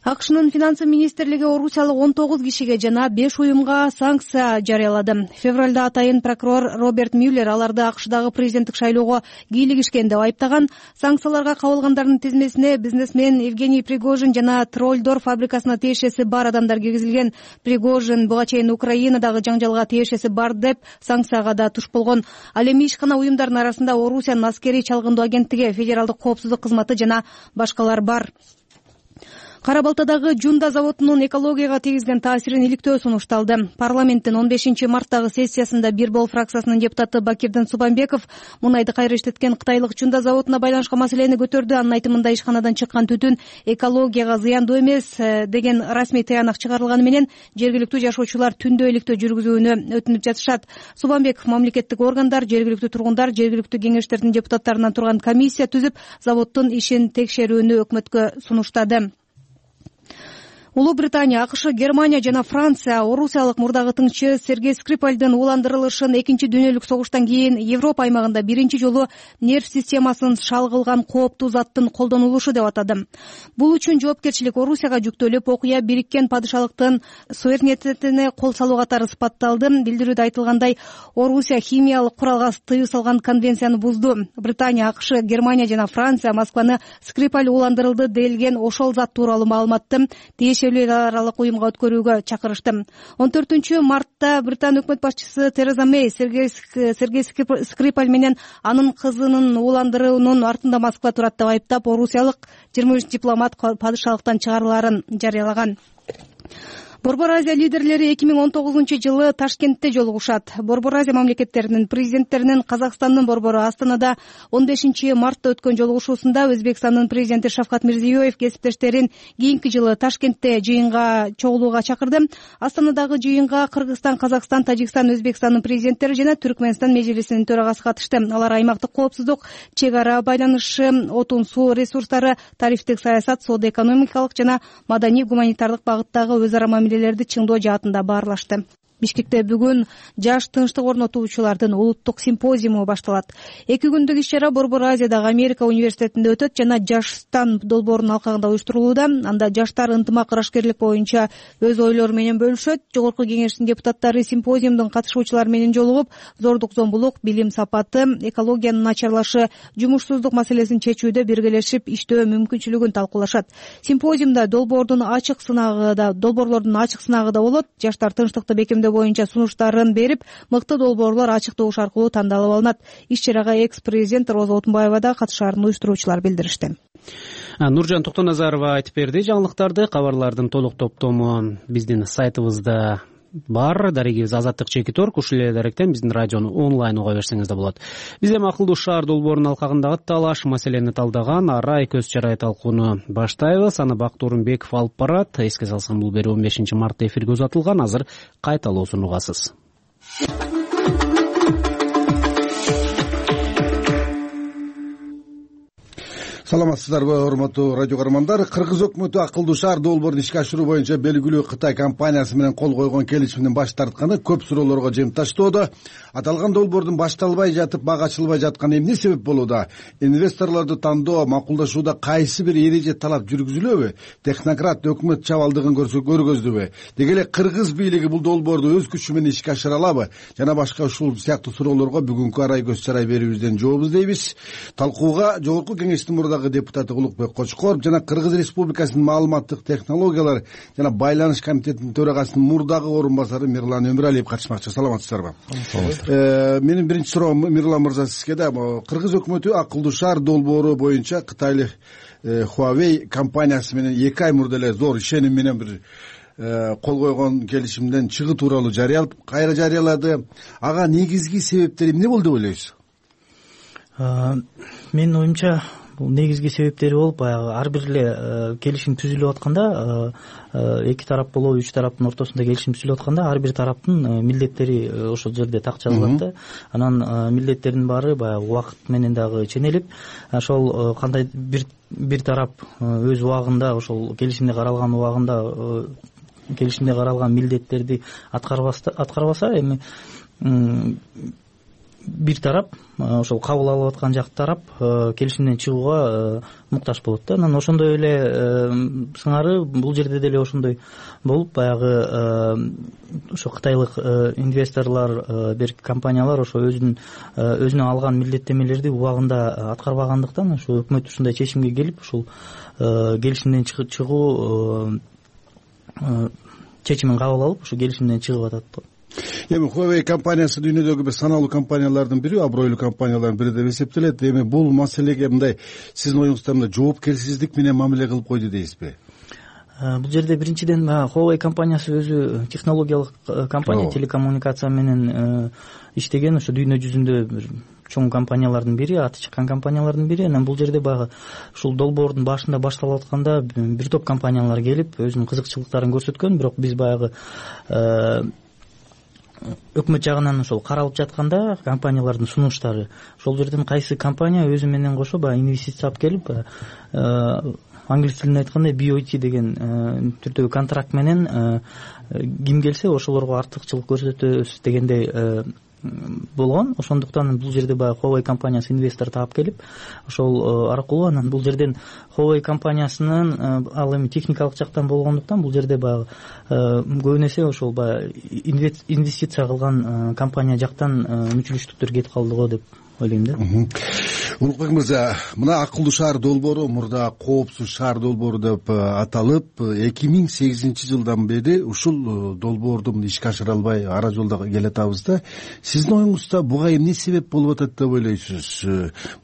АКШнын финансы министрлиги орусиялык он тогуз кишиге жана беш уюмга санкция жарыялады. Февралда атайын прокурор Роберт Мюллер аларды АКШдагы президенттик шайлоого кийлигишкен деп айыптаган. Санкцияларга кабылгандардын тизмесине бизнесмен Евгений Пригожин жана Троллдор фабрикасына тиешеси бар адамдар киргизилген. Пригожин буга чейин Украинадагы жаңжалга тиешеси бар деп санкцияга да туш болгон. Ал эми ишкана уюмдардын арасында Орусиянын аскерий чалгындоо агенттиги, федералдык коопсуздук кызматы жана башкалар бар. Кара Балтадагы Жунда заводунун экологияга тийгизген таасирин иликтөө сунушталды. Парламенттин он бешинчи марттагы сессиясында Бир бол фракциясынын депутаты Бакирдин Субанбеков мунайды кайра иштеткен кытайлык Жунда заводуна байланышкан маселени көтөрдү. Анын айтымында ишканадан чыккан түтүн экологияга зыяндуу эмес деген расмий тыянак чыгарылганы менен жергиликтүү жашоочулар түндө иликтөө жүргүзүүнү өтүнүп жатышат. Субанбеков мамлекеттик органдар, жергиликтүү тургундар, жергиликтүү кеңештердин депутаттарынан турган комиссия түзүп, заводдун ишин текшерүүнү өкмөткө сунуштады. Улуу Британия, АКШ, Германия жана Франция орусиялык мурдагы тыңчы Сергей Скрипальдын уландырылышын экинчи дүйнөлүк согуштан кийин Европа аймагында биринчи жолу нерв системасын шалгылган кооптуу заттын колдонулушу деп атады. Бул үчүн жоопкерчилик Орусияга жүктөлүп, окуя бириккен падышалыктын суверенитетине кол салуу катары сыпатталды. Билдирүүдө айтылгандай, Орусия химиялык куралга тыюу салган конвенцияны бузду. Британия, АКШ, Германия жана Франция Москваны Скрипаль уландырылды делген ошол зат тууралуу маалыматты эл аралык уюмга өткөрүүгө чакырышты. он төртүнчү мартта Британ өкмөт башчысы Тереза Мэй Сергей Скрипаль менен анын кызынын уландыруунун артында Москва турат деп айыптап, орусиялык жыйырма үч дипломат падышалыктан чыгарылаарын жарыялаган. Борбор Азия лидерлери эки миң он тогузунчу жылы Ташкентте жолугушат. Борбор Азия мамлекеттеринин президенттеринин Казакстандын борбору Астанада он бешинчи мартта өткөн жолугушуусунда Өзбекстандын президенти Шавкат Мирзиёев кесиптештерин кийинки жылы Ташкентте жыйынга чогулууга чакырды. Астанадагы жыйынга Кыргызстан, Казакстан, Тажикстан, Өзбекстандын президенттери жана Түркмөнстан межлисинин төрагасы катышты. Алар аймактык коопсуздук, чек ара байланышы, отун суу ресурстары, тарифтик саясат, соода-экономикалык жана маданий-гуманитардык багыттагы өз ара мамилелерди чыңдоо жаатында баарлашты. Бишкекте бүгүн жаш тынчтык орнотуучулардын улуттук симпозиуму башталат. Эки күндүк иш-чара Борбор Азиядагы Америка университетинде өтөт жана Жаштан долбоорунун алкагында уюштурулууда. Анда жаштар ынтымак, ырашкерлик боюнча өз ойлору менен бөлүшөт. Жогорку кеңештин депутаттары симпозиумдун катышуучулары менен жолугуп, зордук зомбулук, билим сапаты, экологиянын начарлашы, жумушсуздук маселесин чечүүдө биргелешип иштөө мүмкүнчүлүгүн талкуулашат. Симпозиумда долбоордун ачык сынагы да, долбоорлордун ачык сынагы да болот. Жаштар тынчтыкты бекемдөө боюнча сунуштарын берип, мыкты долбоорлор ачык добуш аркылуу тандалып алынат. Иш-чарага экс-президент Роза Отунбаева да катышаарын уюштуруучулар билдиришти. Нуржан Токтоназарова айтып берди жаңылыктарды. Кабарлардын толук топтому биздин сайтыбызда бар. Дарегибиз азаттык чекит орг. Ушул эле даректен биздин радиону онлайн уга берсеңиз да болот. Биз эми акылдуу шаар долбоорунун алкагындагы талаш маселени талдаган арай көз чарай талкууну баштайбыз. Аны Бакыт Орунбеков алып барат. Эске салсам, бул берүү он бешинчи мартта эфирге узатылган. Азыр кайталоосун угасыз. Саламатсыздарбы, урматтуу радио көрөрмандар. Кыргыз өкмөтү акылдуу шаар долбоорун ишке ашыруу боюнча белгилүү Кытай компаниясы менен кол койгон келишимдин баш тартканы көп суроолорго жем таштоодо. Аталган долбоордун башталбай жатып, бага ачылбай жатканы эмне себеп болууда? Инвесторлорду тандоо, макулдашууда кайсы бир эреже талап жүргүзүлөбү? Технократ өкмөт чабалдыгын көргөздүбү? Деги эле кыргыз бийлиги бул долбоорду өз күчү менен ишке ашыра алабы? Жана башка ушул сыяктуу суроолорго бүгүнкү арай көз чарай берүүбүздөн жооп издейбиз. Талкууга Жогорку Кеңештин мурдагы депутаты Улукбек Кочкоров жана Кыргыз Республикасынын маалыматтык технологиялар жана байланыш комитетинин төрагасынын мурдагы орун басары Мирлан Өмүралиев катышмакчы. Саламатсыздарбы? Менин биринчи суроом Мирлан мырза сизге да. Кыргыз өкмөтү акылдуу шаар долбоору боюнча кытайлык Huawei компаниясы менен эки ай мурда эле зор ишеним менен бир кол койгон келишимден чыгуу тууралуу жарыялап, кайра жарыялады. Ага негизги себептери эмне болду деп ойлойсуз? Менин оюмча бул негизги себептери болуп, баягы ар бир эле келишим түзүлүп атканда, эки тарап болобу, үч тараптын ортосунда келишим түзүлүп атканда, ар бир тараптын милдеттери ошол жерде так жазылат да. Анан милдеттердин баары баягы убакыт менен дагы ченелип, ошол кандай бир бир тарап өз убагында, ошол келишимде каралган убагында келишимде каралган милдеттерди аткарбаса, эми бир тарап, ошол кабыл алып аткан жак тарап келишимден чыгууга муктаж болот да. Анан ошондой эле сыңары бул жерде деле ошондой болуп, баягы ошо кытайлык инвесторлор, берки компаниялар ошо өзүнүн өзүнө алган милдеттемелерди убагында аткарбагандыктан, ошо өкмөт ушундай чечимге келип, ушул келишимден чыгуу чечимин кабыл алып, ошо келишимден чыгып атат. Эми Huawei компаниясы дүйнөдөгү бир саналуу компаниялардын бири, абройлуу компаниялардын бири деп эсептелет. Эми бул маселеге мындай сиздин оюңузда мындай жоопкерсиздик менен мамиле кылып койду дейсизби? Бул жерде биринчиден Huawei компаниясы өзү технологиялык компания, телекоммуникация менен иштеген, ошо дүйнө жүзүндө бир чоң компаниялардын бири, аты чыккан компаниялардын бири. Анан бул жерде баягы ушул долбоордун башында башталып атканда бир топ компаниялар келип өзүнүн кызыкчылыктарын көрсөткөн, бирок биз баягы өкмөт жагынан ошол каралып жатканда компаниялардын сунуштары, ошол жерден кайсы компания өзү менен кошо баягы инвестиция алып келип, англис тилинде айтканда би о ти деген түрдөгү контракт менен ким келсе ошолорго артыкчылык көрсөтөбүз дегендей болгон. Ошондуктан бул жерде баягы Huawei компаниясы инвестор таап келип, ошол аркылуу анан бул жерден Huawei компаниясынын ал эми техникалык жактан болгондуктан бул жерде баягы көбүнө эсе ошол баягы инвестиция кылган компания жактан мүчүлүштүктөр кетип калды го деп ойлойм да. Улукбек мырза, мына акылдуу шаар долбоору мурда коопсуз шаар долбоору деп аталып, эки миң сегизинчи жылдан бери ушул долбоорду ишке ашыра албай ара жолдо келатабыз да. Сиздин оюңузда буга эмне себеп болуп атат деп ойлойсуз?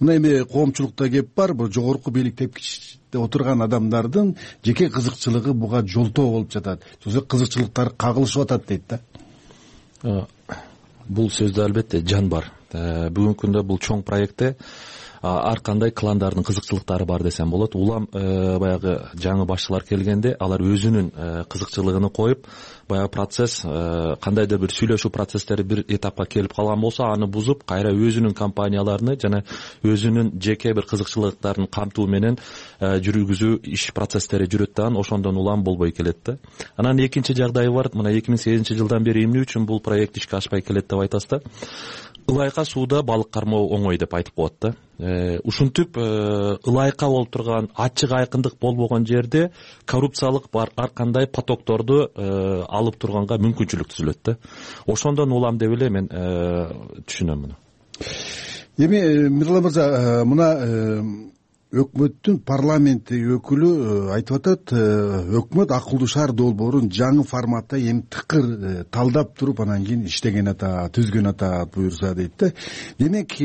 Мына эми коомчулукта кеп бар, бул жогорку бийлик тепкичте отурган адамдардын жеке кызыкчылыгы буга жолтоо болуп жатат. Сөзсүз кызыкчылыктары кагылышып атат дейт да. Бул сөздө албетте жан бар. Бүгүнкү күндө бул чоң проектте ар кандай кландардын кызыкчылыктары бар десем болот. Улам баягы жаңы башчылар келгенде алар өзүнүн кызыкчылыгын коюп, баягы процесс кандайдыр бир сүйлөшүү процесстери бир этапка келип калган болсо, аны бузуп, кайра өзүнүн компанияларыны жана өзүнүн жеке бир кызыкчылыктарын камтуу менен жүргүзүү иш процесстери жүрөт да, ошондон улам болбой келет да. Анан экинчи жагдайы бар. Мына эки миң сегизинчи жылдан бери эмне үчүн бул проект ишке ашпай келет деп айтасыз да. Ылайка сууда балык кармоо оңой деп айтып коет да. Ушинтип ылайка болуп турган, ачык айкындык болбогон жерде коррупциялык бар ар кандай потокторду алып турганга мүмкүнчүлүк түзүлөт да. Ошондон улам деп эле мен түшүнөм муну. Эми Мирлан мырза, мына өкмөттүн парламенттеги өкүлү айтып атат, өкмөт акылдуу шаар долбоорун жаңы форматта эми тыкыр талдап туруп анан кийин иштеген атат, түзгөн атат буюрса дейт да. Демек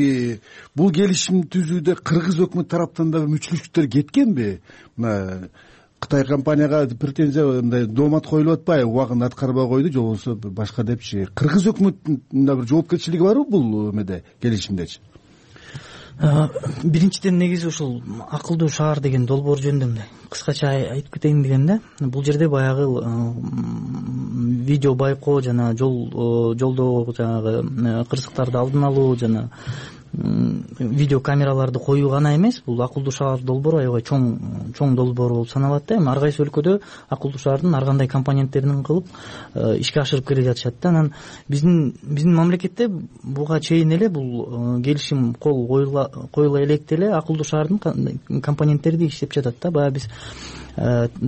бул келишим түзүүдө кыргыз өкмөт тараптан да мүчүлүштүктөр кеткенби? Мына Кытай компанияга претензия мындай доомат коюлуп атпайбы, убагында аткарбай койду же болбосо башка депчи. Кыргыз өкмөттүн да бир жоопкерчилиги барбы бул эмеде, келишимдечи? Биринчиден негизи ушул акылдуу шаар деген долбоор жөнүндө мындай кыскача айтып кетейин дегем да. Бул жерде баягы видео байкоо жана жол жолдо жанагы кырсыктарды алдын алуу жана видео камераларды коюу гана эмес, бул акылдуу шаар долбоору аябай чоң чоң долбоор болуп саналат да. Эми ар кайсы өлкөдө акылдуу шаардын ар кандай компоненттерин кылып ишке ашырып келе жатышат да. Анан биздин биздин мамлекетте буга чейин эле бул келишим кол коюла коюла электе эле акылдуу шаардын компоненттерди иштеп жатат да. Баягы биз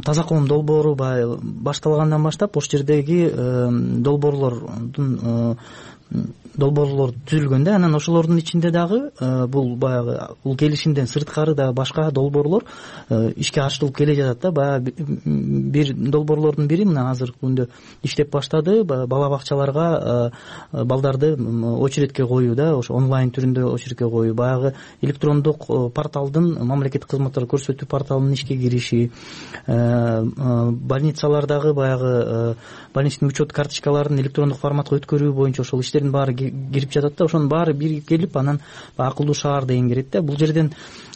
таза коом долбоору баягы башталгандан баштап ошол жердеги долбоорлордун долбоорлор түзүлгөн да. Анан ошолордун ичинде дагы бул баягы бул келишимден сырткары да башка долбоорлор ишке ашырылып келе жатат да. Баягы бир долбоорлордун бири мына азыркы күндө иштеп баштады, бала бакчаларга балдарды очередке коюу да, ошо онлайн түрүндө очередке коюу, баягы электрондук порталдын мамлекеттик кызматтар көрсөтүү порталынын ишке кириши, больницалардагы баягы больничный учет карточкаларын электрондук форматка өткөрүү боюнча ошол иштердин баары кирип жатат да. Ошонун баары бир келип анан акылдуу шаар деген кирет да. Бул жерден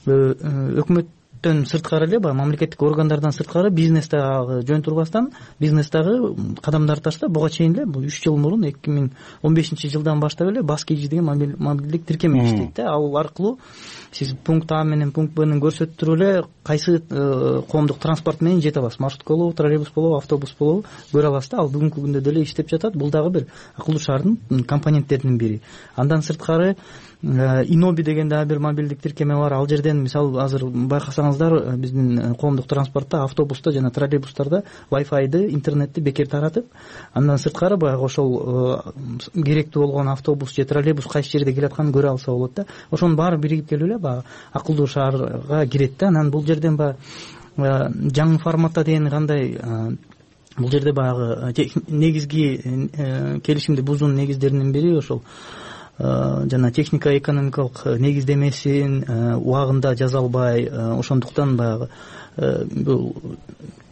өкмөттөн сырткары эле баягы мамлекеттик органдардан сырткары бизнес дагы жөн турбастан бизнес дагы кадамдар таштап буга чейин эле бул үч жыл мурун эки миң он бешинчи жылдан баштап эле бас кийжи деген мобилдик тиркеме иштейт да. Ал аркылуу сиз пункт А менен пункт Б'нин көрсөтүп туруп эле кайсы коомдук транспорт менен жете аласыз, маршрутка болобу, троллейбус болобу, автобус болобу көрө аласыз да. Ал бүгүнкү күндө деле иштеп жатат. Бул дагы бир акылдуу шаардын компоненттеринин бири. Андан сырткары Иноби деген дагы бир мобилдик тиркеме бар. Ал жерден мисалы азыр байкасаңыздар биздин коомдук транспортто, автобуста жана троллейбустарда Wi-Fi'ды, интернетти бекер таратып, андан сырткары баягы ошол керектүү болгон автобус же троллейбус кайсы жерде келатканын көрө алса болот да. Ошонун баары биригип келип эле баягы акылдуу шаарга кирет да. Анан бул жерден баягы жаңы форматта деген кандай, бул жерде баягы негизги келишимди бузуунун негиздеринин бири ошол жана техника экономикалык негиздемесин убагында жаза албай, ошондуктан баягы бул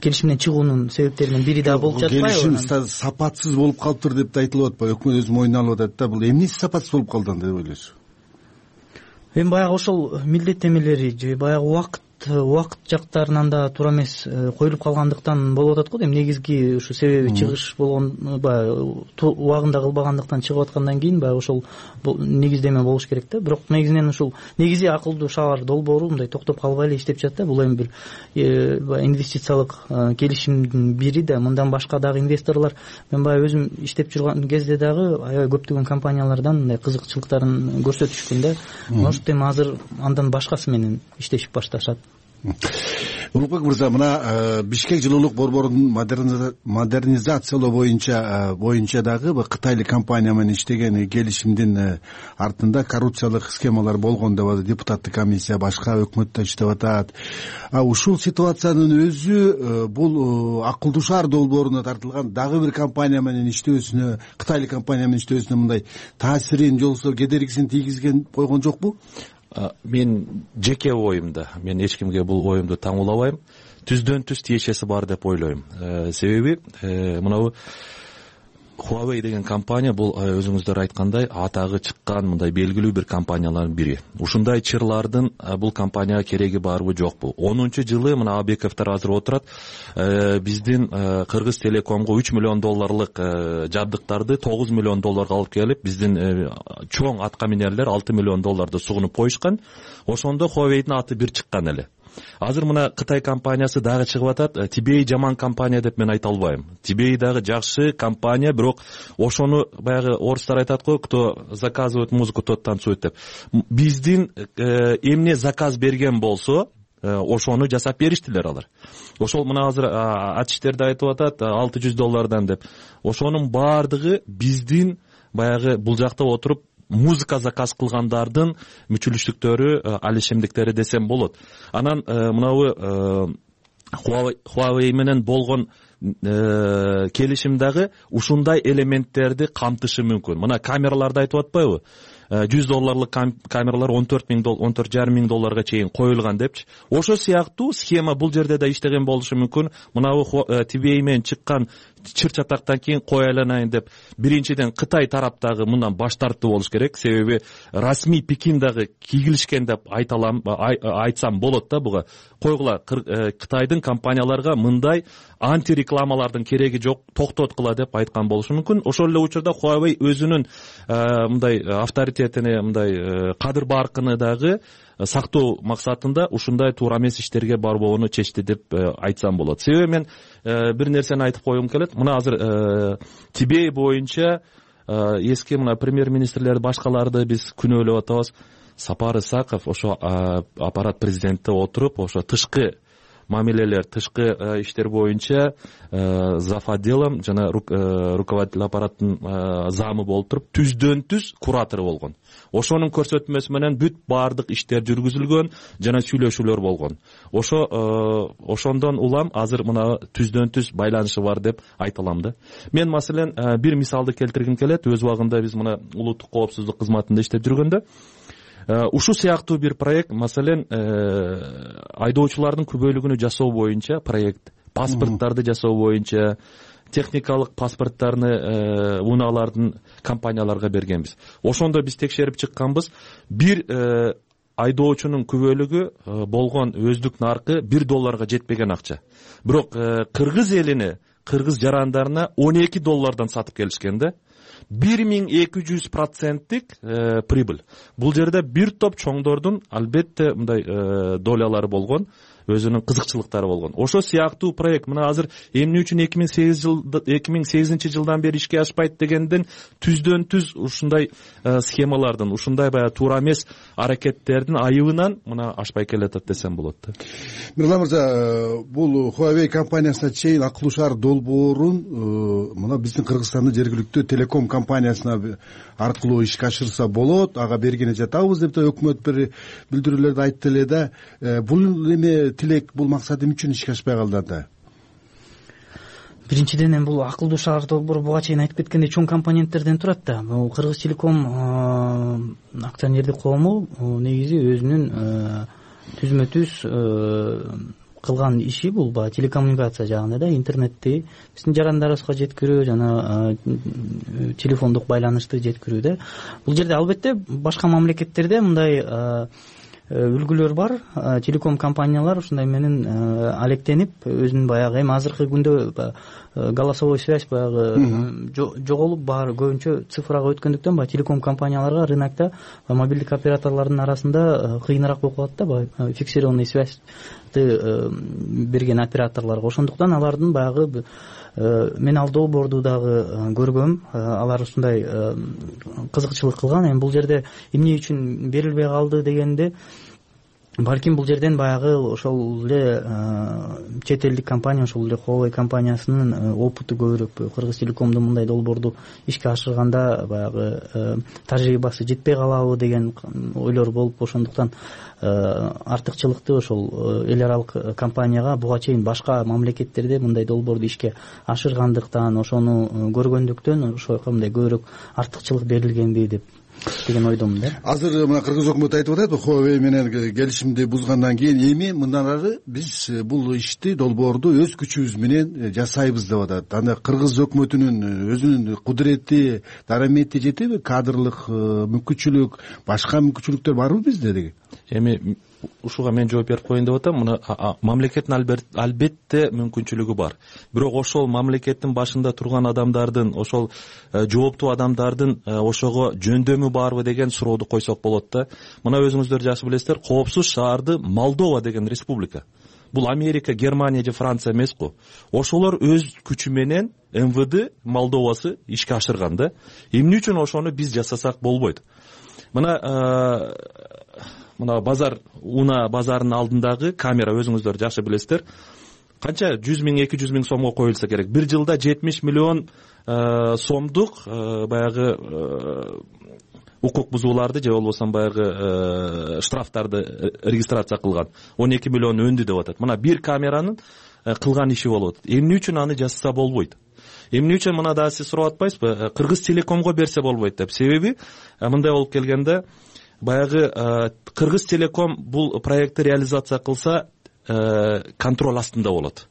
келишимден чыгуунун себептеринин бири да болуп жатпайбы? Келишим сапатсыз болуп калыптыр деп да айтылып атпайбы? Өкмөт өзү мойнуна алып атат да. Бул эмнеси сапатсыз болуп калды деп ойлойсуз? Эми баягы ошол милдеттемелери же баягы убакыт убакыт жактарынан да туура эмес коюлуп калгандыктан болуп атат го. Эми негизги ушу себеби чыгыш болгон, баягы убагында кылбагандыктан чыгып аткандан кийин баягы ошол негиздеме болуш керек да. Бирок негизинен ушул негизи акылдуу шаар долбоору мындай токтоп калбай эле иштеп жатат да. Бул эми бир инвестициялык келишимдин бири да. Мындан башка дагы инвесторлор, мен баягы өзүм иштеп жүргөн кезде дагы аябай көптөгөн компаниялардан мындай кызыкчылыктарын көрсөтүшкөн да. Может эми азыр андан башкасы менен иштешип башташат. Улукбек мырза, мына Бишкек жылуулук борборунун модернизациялоо боюнча боюнча дагы кытайлык компания менен иштеген келишимдин артында коррупциялык схемалар болгон деп депутаттык комиссия, башка өкмөттө иштеп атат. А ушул ситуациянын өзү бул акылдуу шаар долбооруна тартылган дагы бир компания менен иштөөсүнө, кытайлык компания менен иштөөсүнө мындай таасирин же болбосо кедергисин тийгизген койгон жокпу? Мен жеке оюмда, мен эч кимге бул оюмду таңуулабайм. Түздөн түз тиешеси бар деп ойлойм. Себеби мынабу Huawei деген компания бул өзүңүздөр айткандай атагы чыккан мындай белгилүү бир компаниялардын бири. Ушундай чырлардын бул компанияга кереги барбы жокпу? онунчу жылы мына Абековдор азыр отурат, биздин Кыргыз Телекомго үч миллион долларлык жабдыктарды тогуз миллион долларга алып келип, биздин чоң атка минерлер алты миллион долларды сугунуп коюшкан. Ошондо Huawei'дин аты бир чыккан эле. Азыр мына Кытай компаниясы дагы чыгып атат. Тибей жаман компания деп мен айта албайм. Тибей дагы жакшы компания, бирок ошону баягы орустар айтат го, кто заказывает музыку, тот танцует деп. Биздин эмне заказ берген болсо, ошону жасап бериштилер алар. Ошол мына азыр ачиштерде айтып атат алты жүз доллардан деп. Ошонун баардыгы биздин баягы бул жакта отуруп музыка заказ кылгандардын мүчүлүштүктөрү, ал ишемдиктери десем болот. Анан мынабу Huawei менен болгон келишим дагы ушундай элементтерди камтышы мүмкүн. Мына камераларды айтып атпайбы? жүз долларлык камералар он төрт миң он төрт жарым миң долларга чейин коюлган депчи. Ошо сыяктуу схема бул жерде да иштеген болушу мүмкүн. Мынабу ти би эй менен чыккан чыр чатактан кийин кой айланайын деп биринчиден Кытай тараптагы мындан баш тартты болуш керек. Себеби расмий Пекин дагы кийгилишкен деп айталам, айтсам болот да буга. Койгула, Кытайдын компанияларга мындай антирекламалардын кереги жок, токтоткула деп айткан болушу мүмкүн. Ошол эле учурда Huawei өзүнүн мындай авторитетине, мындай кадыр баркыны дагы сактоо максатында ушундай туура эмес иштерге барбоону чечти деп айтсам болот. Себеби мен бир нерсени айтып койгум келет. Мына азыр ти би эй боюнча эски мына премьер-министрлерди, башкаларды биз күнөөлөп атабыз. Сапар Исаков ошо аппарат президентте отуруп, ошо тышкы мамилелер, тышкы иштер боюнча зав. Отделом жана руководитель аппараттын замы болуп туруп, түздөн түз куратору болгон. Ошонун көрсөтмөсү менен бүт баардык иштер жүргүзүлгөн жана сүйлөшүүлөр болгон. Ошо ошондон улам азыр мына түздөн түз байланышы бар деп айта алам да. Мен маселен бир мисалды келтиргим келет. Өз убагында биз мына улуттук коопсуздук кызматында иштеп жүргөндө ушу сыяктуу бир проект, маселен, айдоочулардын күбөлүгүнү жасоо боюнча проект, паспорттарды жасоо боюнча, техникалык паспорттарны унаалардын компанияларга бергенбиз. Ошондо биз текшерип чыкканбыз. Бир айдоочунун күбөлүгү болгон өздүк наркы бир долларга жетпеген акча. Бирок кыргыз элине, кыргыз жарандарына он эки доллардан сатып келишкен да. бир миң эки жүз проценттик прибыль. Бул жерде бир топ чоңдордун албетте мындай долялары болгон, өзүнүн кызыкчылыктары болгон. Ошо сыяктуу проект мына азыр эмне үчүн эки миң сегиз жылда эки миң сегизинчи жылдан бери ишке ашпайт дегенден түздөн түз ушундай схемалардын, ушундай баягы туура эмес аракеттердин айыбынан мына ашпай келатат десем болот да. Мирлан мырза, бул Huawei компаниясына чейин акылуу шаар долбоорун мына биздин Кыргызстандын жергиликтүү телеком компаниясына аркылуу ишке ашырса болот, ага бергене жатабыз деп да өкмөт бир билдирүүлөрдү айтты эле да. Бул эме тилек, бул максат эмне үчүн ишке ашпай калды анда? Биринчиден эми бул акылдуу шаар долбоору буга чейин айтып кеткендей чоң компоненттерден турат да. Бул Кыргыз телеком акционердик коому негизи өзүнүн түзмө түз кылган иши бул баягы телекоммуникация жагында да, интернетти биздин жарандарыбызга жеткирүү жана телефондук байланышты жеткирүү да. Бул жерде албетте башка мамлекеттерде мындай үлгүлөр бар. Телеком компаниялар ушундай менен алектенип, өзүнүн баягы эми азыркы күндө голосовой связь баягы жоголуп, баары көбүнчө цифрага өткөндүктөн баягы телеком компанияларга рынокто мобилдик операторлордун арасында кыйыныраак болуп калат да, баягы фиксированный связьты берген операторлорго. Ошондуктан алардын баягы мен ал долбоорду дагы көргөм, алар ушундай кызыкчылык кылган. Эми бул жерде эмне үчүн берилбей калды дегенде, балким бул жерден баягы ошол эле чет элдик компания, ошол эле Huawei компаниясынын опыту көбүрөөк, Кыргыз телекомдун мындай долбоорду ишке ашырганда баягы тажрыйбасы жетпей калабы деген ойлор болуп, ошондуктан артыкчылыкты ошол эл аралык компанияга буга чейин башка мамлекеттерде мындай долбоорду ишке ашыргандыктан, ошону көргөндүктөн ошого мындай көбүрөөк артыкчылык берилгенби деп деген ойдомун да. Азыр мына Кыргыз өкмөтү айтып атат, Huawei менен келишимди бузгандан кийин эми мындан ары биз бул ишти, долбоорду өз күчүбүз менен жасайбыз деп атат. Анда Кыргыз өкмөтүнүн өзүнүн кудурети, дарамети жетеби? Кадрлык мүмкүнчүлүк, башка мүмкүнчүлүктөр барбы бизде деги? Эми ушуга мен жооп берип коеюн деп атам. Мына мамлекеттин албетте мүмкүнчүлүгү бар. Бирок ошол мамлекеттин башында турган адамдардын, ошол жооптуу адамдардын ошого жөндөмү барбы деген сурооду койсок болот да. Мына өзүңүздөр жакшы билесиздер, коопсуз шаарды Молдова деген республика. Бул Америка, Германия же Франция эмес-ку. Ошолор өз күчү менен эм вэ дэ Молдовасы ишке ашырган да. Эмне үчүн ошону биз жасасак болбойт? Мына мына базар, уна базарынын алдындагы камера, өзүңүздөр жакшы билесиздер, канча жүз миң эки жүз миң сомго коюлса керек. Бир жылда жетимиш миллион сомдук баягы укук бузууларды же болбосо баягы штрафтарды регистрация кылган он эки миллион өндү деп атат. Мына бир камеранын кылган иши болуп атат. Эмне үчүн аны жасаса болбойт? Эмне үчүн мына дагы сиз сурап атпайсызбы? Кыргыз Телекомго берсе болбойт деп. Себеби мындай болуп келгенде баягы Кыргыз Телеком бул проектти реализация кылса контроль астында болот.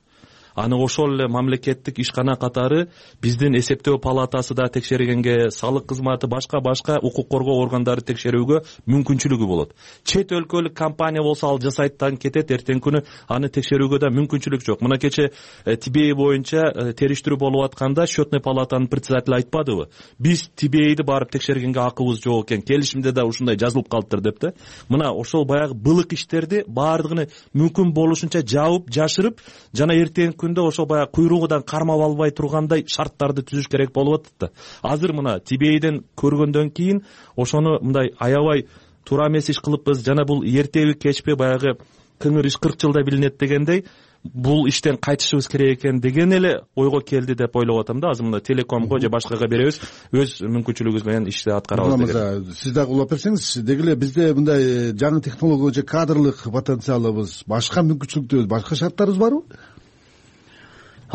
Аны ошол эле мамлекеттик ишкана катары биздин эсептөө палатасы да текшергенге, салык кызматы, башка башка укук коргоо органдары текшерүүгө мүмкүнчүлүгү болот. Чет өлкөлүк компания болсо ал жасайттан кетет, эртең күнү аны текшерүүгө да мүмкүнчүлүк жок. Мына кече Тибей боюнча териштирүү болуп атканда счетный палатанын председатели айтпадыбы? Биз Тибейди барып текшергенге акыбыз жок экен, келишимде да ушундай жазылып калыптыр деп да. Мына ошол баягы былык иштерди баардыгын мүмкүн болушунча жабып, жашырып, жана эртең күндө ошо баягы куйругудан кармап албай тургандай шарттарды түзүш керек болуп атат да. Азыр мына Тибейден көргөндөн кийин ошону мындай аябай туура эмес иш кылыппыз, жана бул эртеби кечпи баягы кыңыр иш кырк жылда билинет дегендей бул иштен кайтышыбыз керек экен деген эле ойго келди деп ойлоп атам да. Азыр мына Телекомго же башкага беребиз, өз мүмкүнчүлүгүбүз менен ишти аткарабыз деген. Сиз дагы улап берсеңиз, деги эле бизде мындай жаңы технология же кадрлык потенциалыбыз, башка мүмкүнчүлүктөрүбүз, башка шарттарыбыз барбы?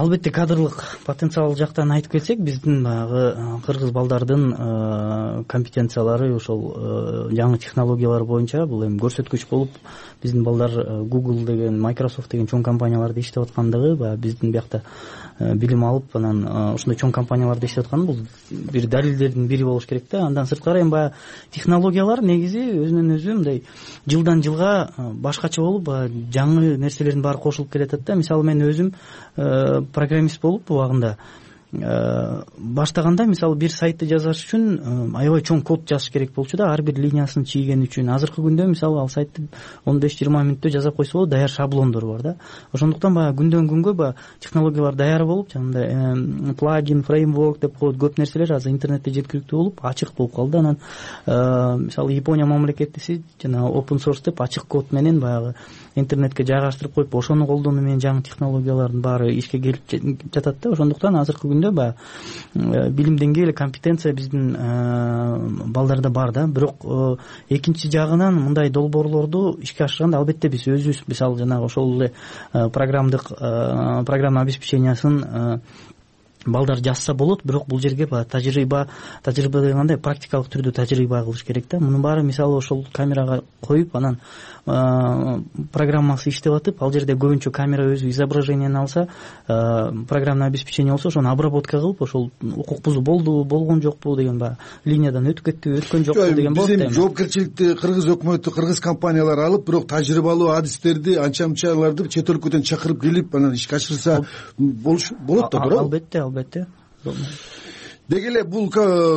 Албетте кадрлык потенциал жактан айтып кетсек, биздин баягы кыргыз балдардын компетенциялары ошол жаңы технологиялар боюнча бул эми көрсөткүч болуп, биздин балдар Google деген, Microsoft деген чоң компанияларда иштеп аткандыгы, баягы биздин биякта билим алып, анан ошондой чоң компанияларда иштеп аткан бул бир далилдердин бири болуш керек да. Андан сырткары эми баягы технологиялар негизи өзүнөн өзү мындай жылдан жылга башкача болуп, жаңы нерселердин баары кошулуп келатат да. Мисалы мен өзүм программист болуп убагында баштаганда, мисалы бир сайтты жазаш үчүн аябай чоң код жазыш керек болчу да, ар бир линиясын чийген үчүн. Азыркы күндө мисалы ал сайтты он беш жыйырма мүнөттө жазап койсо болот, даяр шаблондор бар да. Ошондуктан баягы күндөн күнгө баягы технологиялар даяр болуп, жанагындай плагин, фреймворк деп коет, көп нерселер азыр интернетте жеткиликтүү болуп, ачык болуп калды. Анан мисалы Япония мамлекети жана open source деп ачык код менен баягы интернетке жайгаштырып коюп, ошону колдонуу менен жаңы технологиялардын баары ишке келип жатат да. Ошондуктан азыркы күндө баягы билим деңгээли, компетенция биздин балдарда бар да. Бирок экинчи жагынан мындай долбоорлорду ишке ашырганда албетте биз өзүбүз мисалы жанагы ошол эле программдык программа обеспечениясын балдар жазса болот, бирок бул жерге баягы тажрыйба тажрыйба дегенде практикалык түрдө тажрыйба кылыш керек да. Мунун баары мисалы ошол камерага коюп, анан программасы иштеп атып, ал жерде көбүнчө камера өзү изображениени алса, программный обеспечение болсо ошону обработка кылып, ошол укук бузуу болдубу, болгон жокпу деген баягы линиядан өтүп кеттиби, өткөн жокпу деген болот да. Биз жоопкерчиликти кыргыз өкмөтү, кыргыз компаниялары алып, бирок тажрыйбалуу адистерди, анча-мынчаларды чет өлкөдөн чакырып келип, анан ишке ашырса болуш болот да, туура? Албетте, албетте. Деги эле бул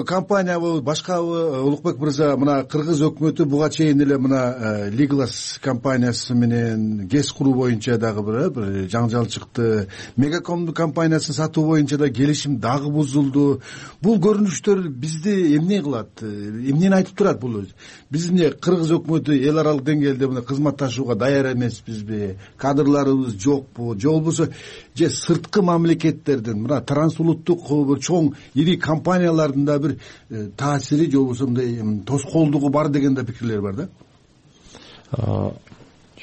компаниябы, башкабы, Улукбек мырза, мына кыргыз өкмөтү буга чейин эле мына Legalas компаниясы менен ГЭС куруу боюнча дагы бир жаңжал чыкты. Мегаком компаниясын сатуу боюнча да келишим дагы бузулду. Бул көрүнүштөр бизди эмне кылат? Эмнени айтып турат бул? Биз эмне кыргыз өкмөтү эл аралык деңгээлде мына кызматташууга даяр эмеспизби? Кадрларыбыз жокпу? Же болбосо же сырткы мамлекеттердин мына трансулуттук бир чоң ири компаниялардын да бир таасири же болбосо мындай тоскоолдугу бар деген да пикирлер бар да.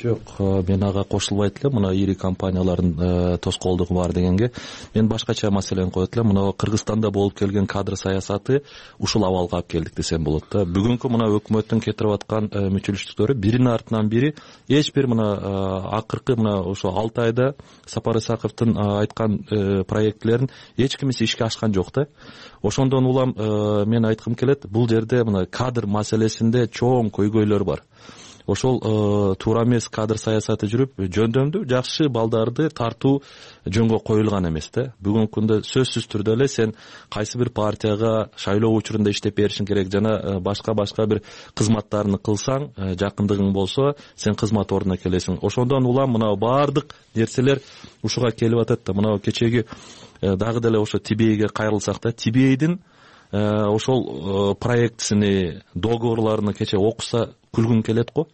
Жок, мен ага кошулбайт элем. Мына ири компаниялардын тоскоолдугу бар дегенге мен башкача маселени коет элем. Мына Кыргызстанда болуп келген кадр саясаты ушул абалга алып келдик десем болот да. Бүгүнкү мына өкмөттүн кетирип аткан мүчүлүштүктөрү биринин артынан бири эч бир мына акыркы мына ошо алты айда Сапар Исаковдун айткан проектлерин эч кимиси ишке ашкан жок да. Ошондон улам мен айткым келет, бул жерде мына кадр маселесинде чоң көйгөйлөр бар. Ошол туура эмес кадр саясаты жүрүп, жөндөмдүү жакшы балдарды тартуу жөнгө коюлган эмес да. Бүгүнкү күндө сөзсүз түрдө эле сен кайсы бир партияга шайлоо учурунда иштеп беришиң керек, жана башка башка бир кызматтарны кылсаң, жакындыгың болсо, сен кызмат ордуна келесиң. Ошондон улам мына баардык нерселер ушуга келип атат да. Мына кечеги дагы деле ошо Тибейге кайрылсак да, Тибейдин ошол проектисини, договорлорун кече окуса күлгүң келет го.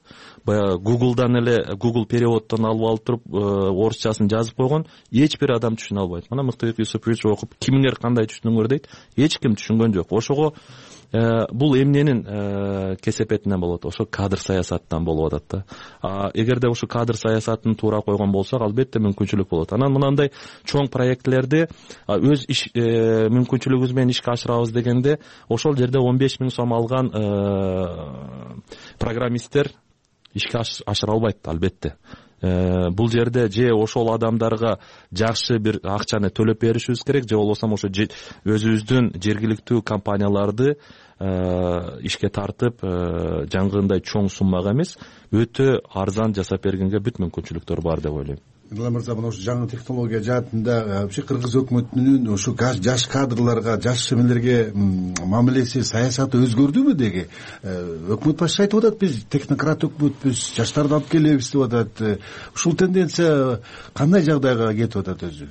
Баягы Google'дан эле Google переводдон алып алып туруп орусчасын жазып койгон, эч бир адам түшүнө албайт. Мына Мыктыбек Юсупович окуп, кимиңер кандай түшүнүңөр дейт, эч ким түшүнгөн жок. Ошого бул эмненин кесепетинен болот? Ошо кадр саясаттан болуп атат да. А эгерде ошо кадр саясатын туура койгон болсок, албетте мүмкүнчүлүк болот. Анан мынандай чоң проектлерди өз иш мүмкүнчүлүгүбүз менен ишке ашырабыз дегенде, ошол жерде он беш миң сом алган программисттер ишке ашыра албайт, албетте. Бул жерде же ошол адамдарга жакшы бир акчаны төлөп беришибиз керек, же болбосо ошо өзүбүздүн жергиликтүү компанияларды ишке тартып, жаңгындай чоң суммага эмес, өтө арзан жасап бергенге бүт мүмкүнчүлүктөр бар деп ойлойм. Мырлан мырза, мына ошо жаңы технология жаатында вообще кыргыз өкмөтүнүн ошо жаш кадрларга, жаш эмелерге мамилеси, саясаты өзгөрдүбү деги? Өкмөт башчысы айтып атат, биз технократ өкмөтпүз, жаштарды алып келебиз деп атат. Ушул тенденция кандай жагдайга кетип атат өзү?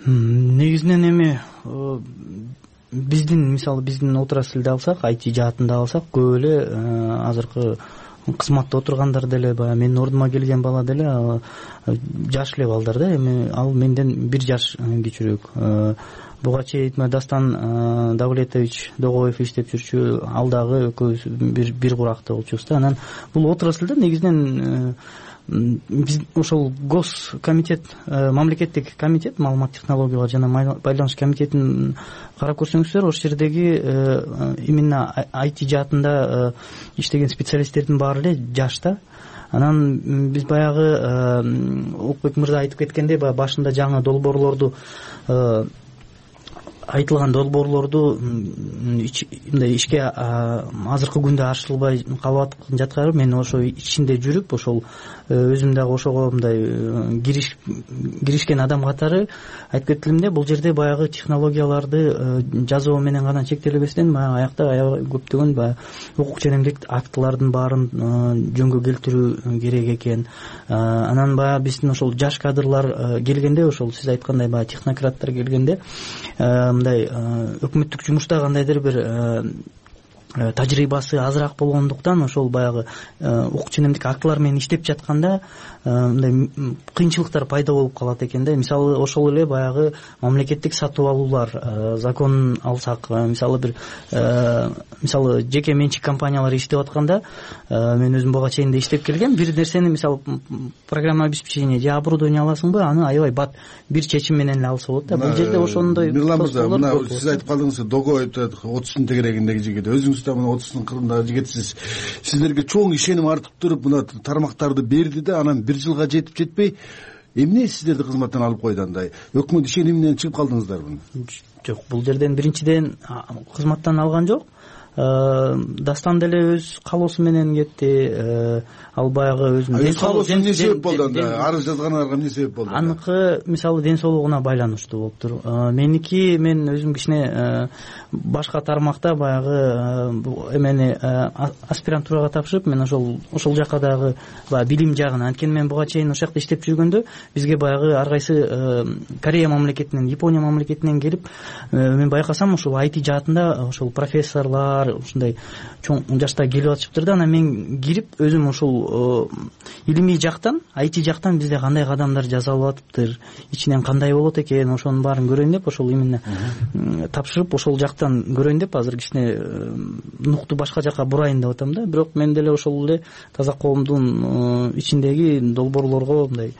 Негизинен эми биздин, мисалы биздин отрасльди алсак, ай ти жаатында алсак, көп эле азыркы кызматта отургандар деле, баягы менин ордума келген бала деле жаш эле балдар да, эми ал менден бир жаш кичүүрөөк. Буга чейин Дастан Давлетович Догоев иштеп жүрчү, ал дагы экөөбүз бир бир куракта болчубуз да. Анан бул отраслда негизинен биз ошол гос комитет, мамлекеттик комитет, маалымат технологиялар жана байланыш комитетин карап көрсөңүздөр, ошол жердеги именно ай ти жаатында иштеген специалисттердин баары эле жаш да. Анан биз баягы Окбек мырза айтып кеткендей, баягы башында жаңы долбоорлорду, айтылган долбоорлорду мындай ишке азыркы күндө ашырылбай калып жаткан, мен ошо ичинде жүрүп, ошол өзүм дагы ошого мындай киришкен адам катары айтып кеттим да, бул жерде баягы технологияларды жазуу менен гана чектелбестен, баягы аякта аябай көптөгөн баягы укук жана эмгек актылардын баарын жөнгө келтирүү керек экен. Анан баягы биздин ошол жаш кадрлар келгенде, ошол сиз айткандай баягы технократтар келгенде, мындай өкмөттүк жумушта кандайдыр бир тажрыйбасы азыраак болгондуктан, ошол баягы укук жана эмгек актылар менен иштеп жатканда мындай кыйынчылыктар пайда болуп калат экен да. Мисалы ошол эле баягы мамлекеттик сатып алуулар законун алсак, мисалы бир мисалы жеке менчик компаниялар иштеп атканда, мен өзүм буга чейин да иштеп келгем, бир нерсени мисалы программа обеспечение же оборудование аласыңбы, аны аябай бат бир чечим менен эле алса болот да. Бул жерде ошондой Мырлан мырза, мына сиз айтып калдыңыз, Догоев отуздун тегерегиндеги жигит, өзүңүз да мына отуздун кырындагы жигитсиз. Сиздерге чоң ишеним артып туруп мына тармактарды берди да, анан бир жылга жетип жетпей эмне сиздерди кызматтан алып койду андай? Өкмөт ишениминен чыгып калдыңыздарбы? Жок, бул жерден биринчиден кызматтан алган жок. Дастан деле өз калоосу менен кетти. Ал баягы өзүнүн өз калоосу эмне себеп болду анда? Арыз жазгандарга эмне себеп болду? Аныкы мисалы ден соолугуна байланыштуу болуптур. Меники, мен өзүм кичине башка тармакта баягы эмени аспирантурага тапшырып, мен ошол ошол жака дагы баягы билим жагын, анткени мен буга чейин ошол жакта иштеп жүргөндө бизге баягы ар кайсы Корея мамлекетинен, Япония мамлекетинен келип, мен байкасам ошол ай ти жаатында ошол профессорлор ушундай чоң жашта келип атышыптыр да. Анан мен кирип өзүм ошол илимий жактан, ай ти жактан бизде кандай кадамдар жасалып атыптыр, ичинен кандай болот экен, ошонун баарын көрөйүн деп, ошол именно тапшырып ошол жактан көрөйүн деп азыр кичине нукту башка жака бурайын деп атам да. Бирок мен деле ошол эле таза коомдун ичиндеги долбоорлорго мындай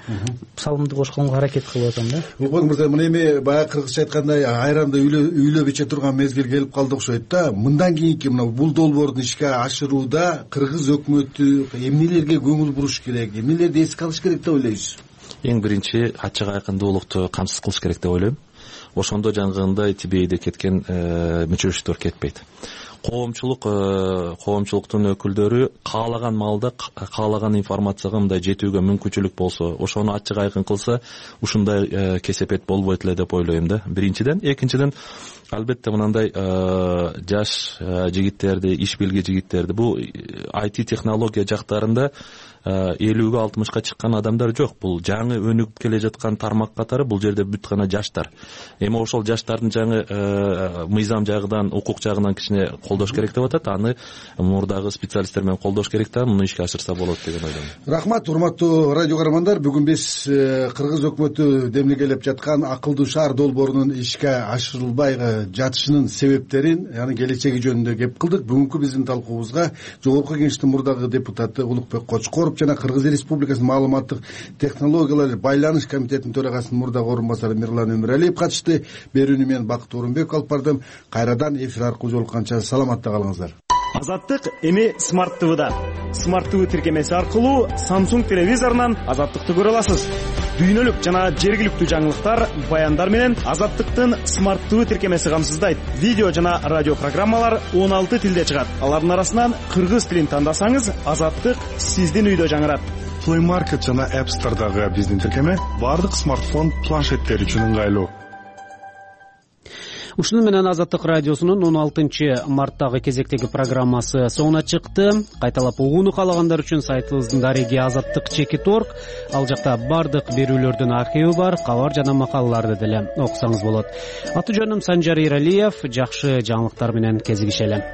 салымды кошконго аракет кылып атам да. Окбек мырза, мына эми баягы кыргызча айткандай айранды үйлөп иче турган мезгил келип калды окшойт да. Мындан кийинки мына бул долбоорду ишке ашырууда кыргыз өкмөтү эмнелерге көңүл буруш керек, эмнелерди эске алыш керек деп ойлойсуз? Эң биринчи ачык айкындуулукту камсыз кылыш керек деп ойлойм. Ошондо жаңгындай тибейде кеткен мүчөчтөр кетпейт. Коомчулук коомчулуктун өкүлдөрү каалаган маалда каалаган информацияга мындай жетүүгө мүмкүнчүлүк болсо, ошону ачык айкын кылса, ушундай кесепет болбойт эле деп ойлойм да. Биринчиден, экинчиден албетте мынандай жаш жигиттерди, иш билги жигиттерди, бул ай ти технология жактарында элүүгө алтымышка чыккан адамдар жок. Бул жаңы өнүгүп келе жаткан тармак катары бул жерде бүт гана жаштар. Эми ошол жаштардын жаңы мыйзам жагынан, укук жагынан кичине колдош керек деп атат. Аны мурдагы специалисттер менен колдош керек да, муну ишке ашырса болот деген ойдомун. Рахмат, урматтуу радио көрөрмандар. Бүгүн биз кыргыз өкмөтү демилгелеп жаткан акылдуу шаар долбоорунун ишке ашырылбай жатышынын себептерин, яны келечеги жөнүндө кеп кылдык. Бүгүнкү биздин талкуубузга Жогорку Кеңештин мурдагы депутаты Улукбек Кочкоров жана Кыргыз Республикасынын маалыматтык технологиялар байланыш комитетинин төрагасынын мурдагы орун басары Мирлан Өмүралиев катышты. Берүүнү мен Бакыт Орунбеков алып бардым. Кайрадан эфир аркылуу жолукканча саламатта калыңыздар. Азаттык эми Смарт ТВда. Смарт ТВ тиркемеси аркылуу Samsung телевизорунан Азаттыкты көрө аласыз. Дүйнөлүк жана жергиликтүү жаңылыктар, баяндар менен Азаттыктын Смарт ТВ тиркемеси камсыздайт. Видео жана радио программалар он алты тилде чыгат. Алардын арасынан кыргыз тилин тандасаңыз, Азаттык сиздин үйдө жаңырат. Play Market жана App Store'дагы биздин тиркеме бардык смартфон, планшеттер үчүн ыңгайлуу. Ушуну менен Азаттык радиосунун он алтынчы марттагы кезектеги программасы соңуна чыкты. Кайталап угууну каалагандар үчүн сайтыбыздын дареги азаттык чекит точка орг. Ал жакта бардык берүүлөрдүн архиви бар, кабар жана макалаларды деле окусаңыз болот. Аты жөнүм Санжар Иралиев. Жакшы жаңылыктар менен кезигишели.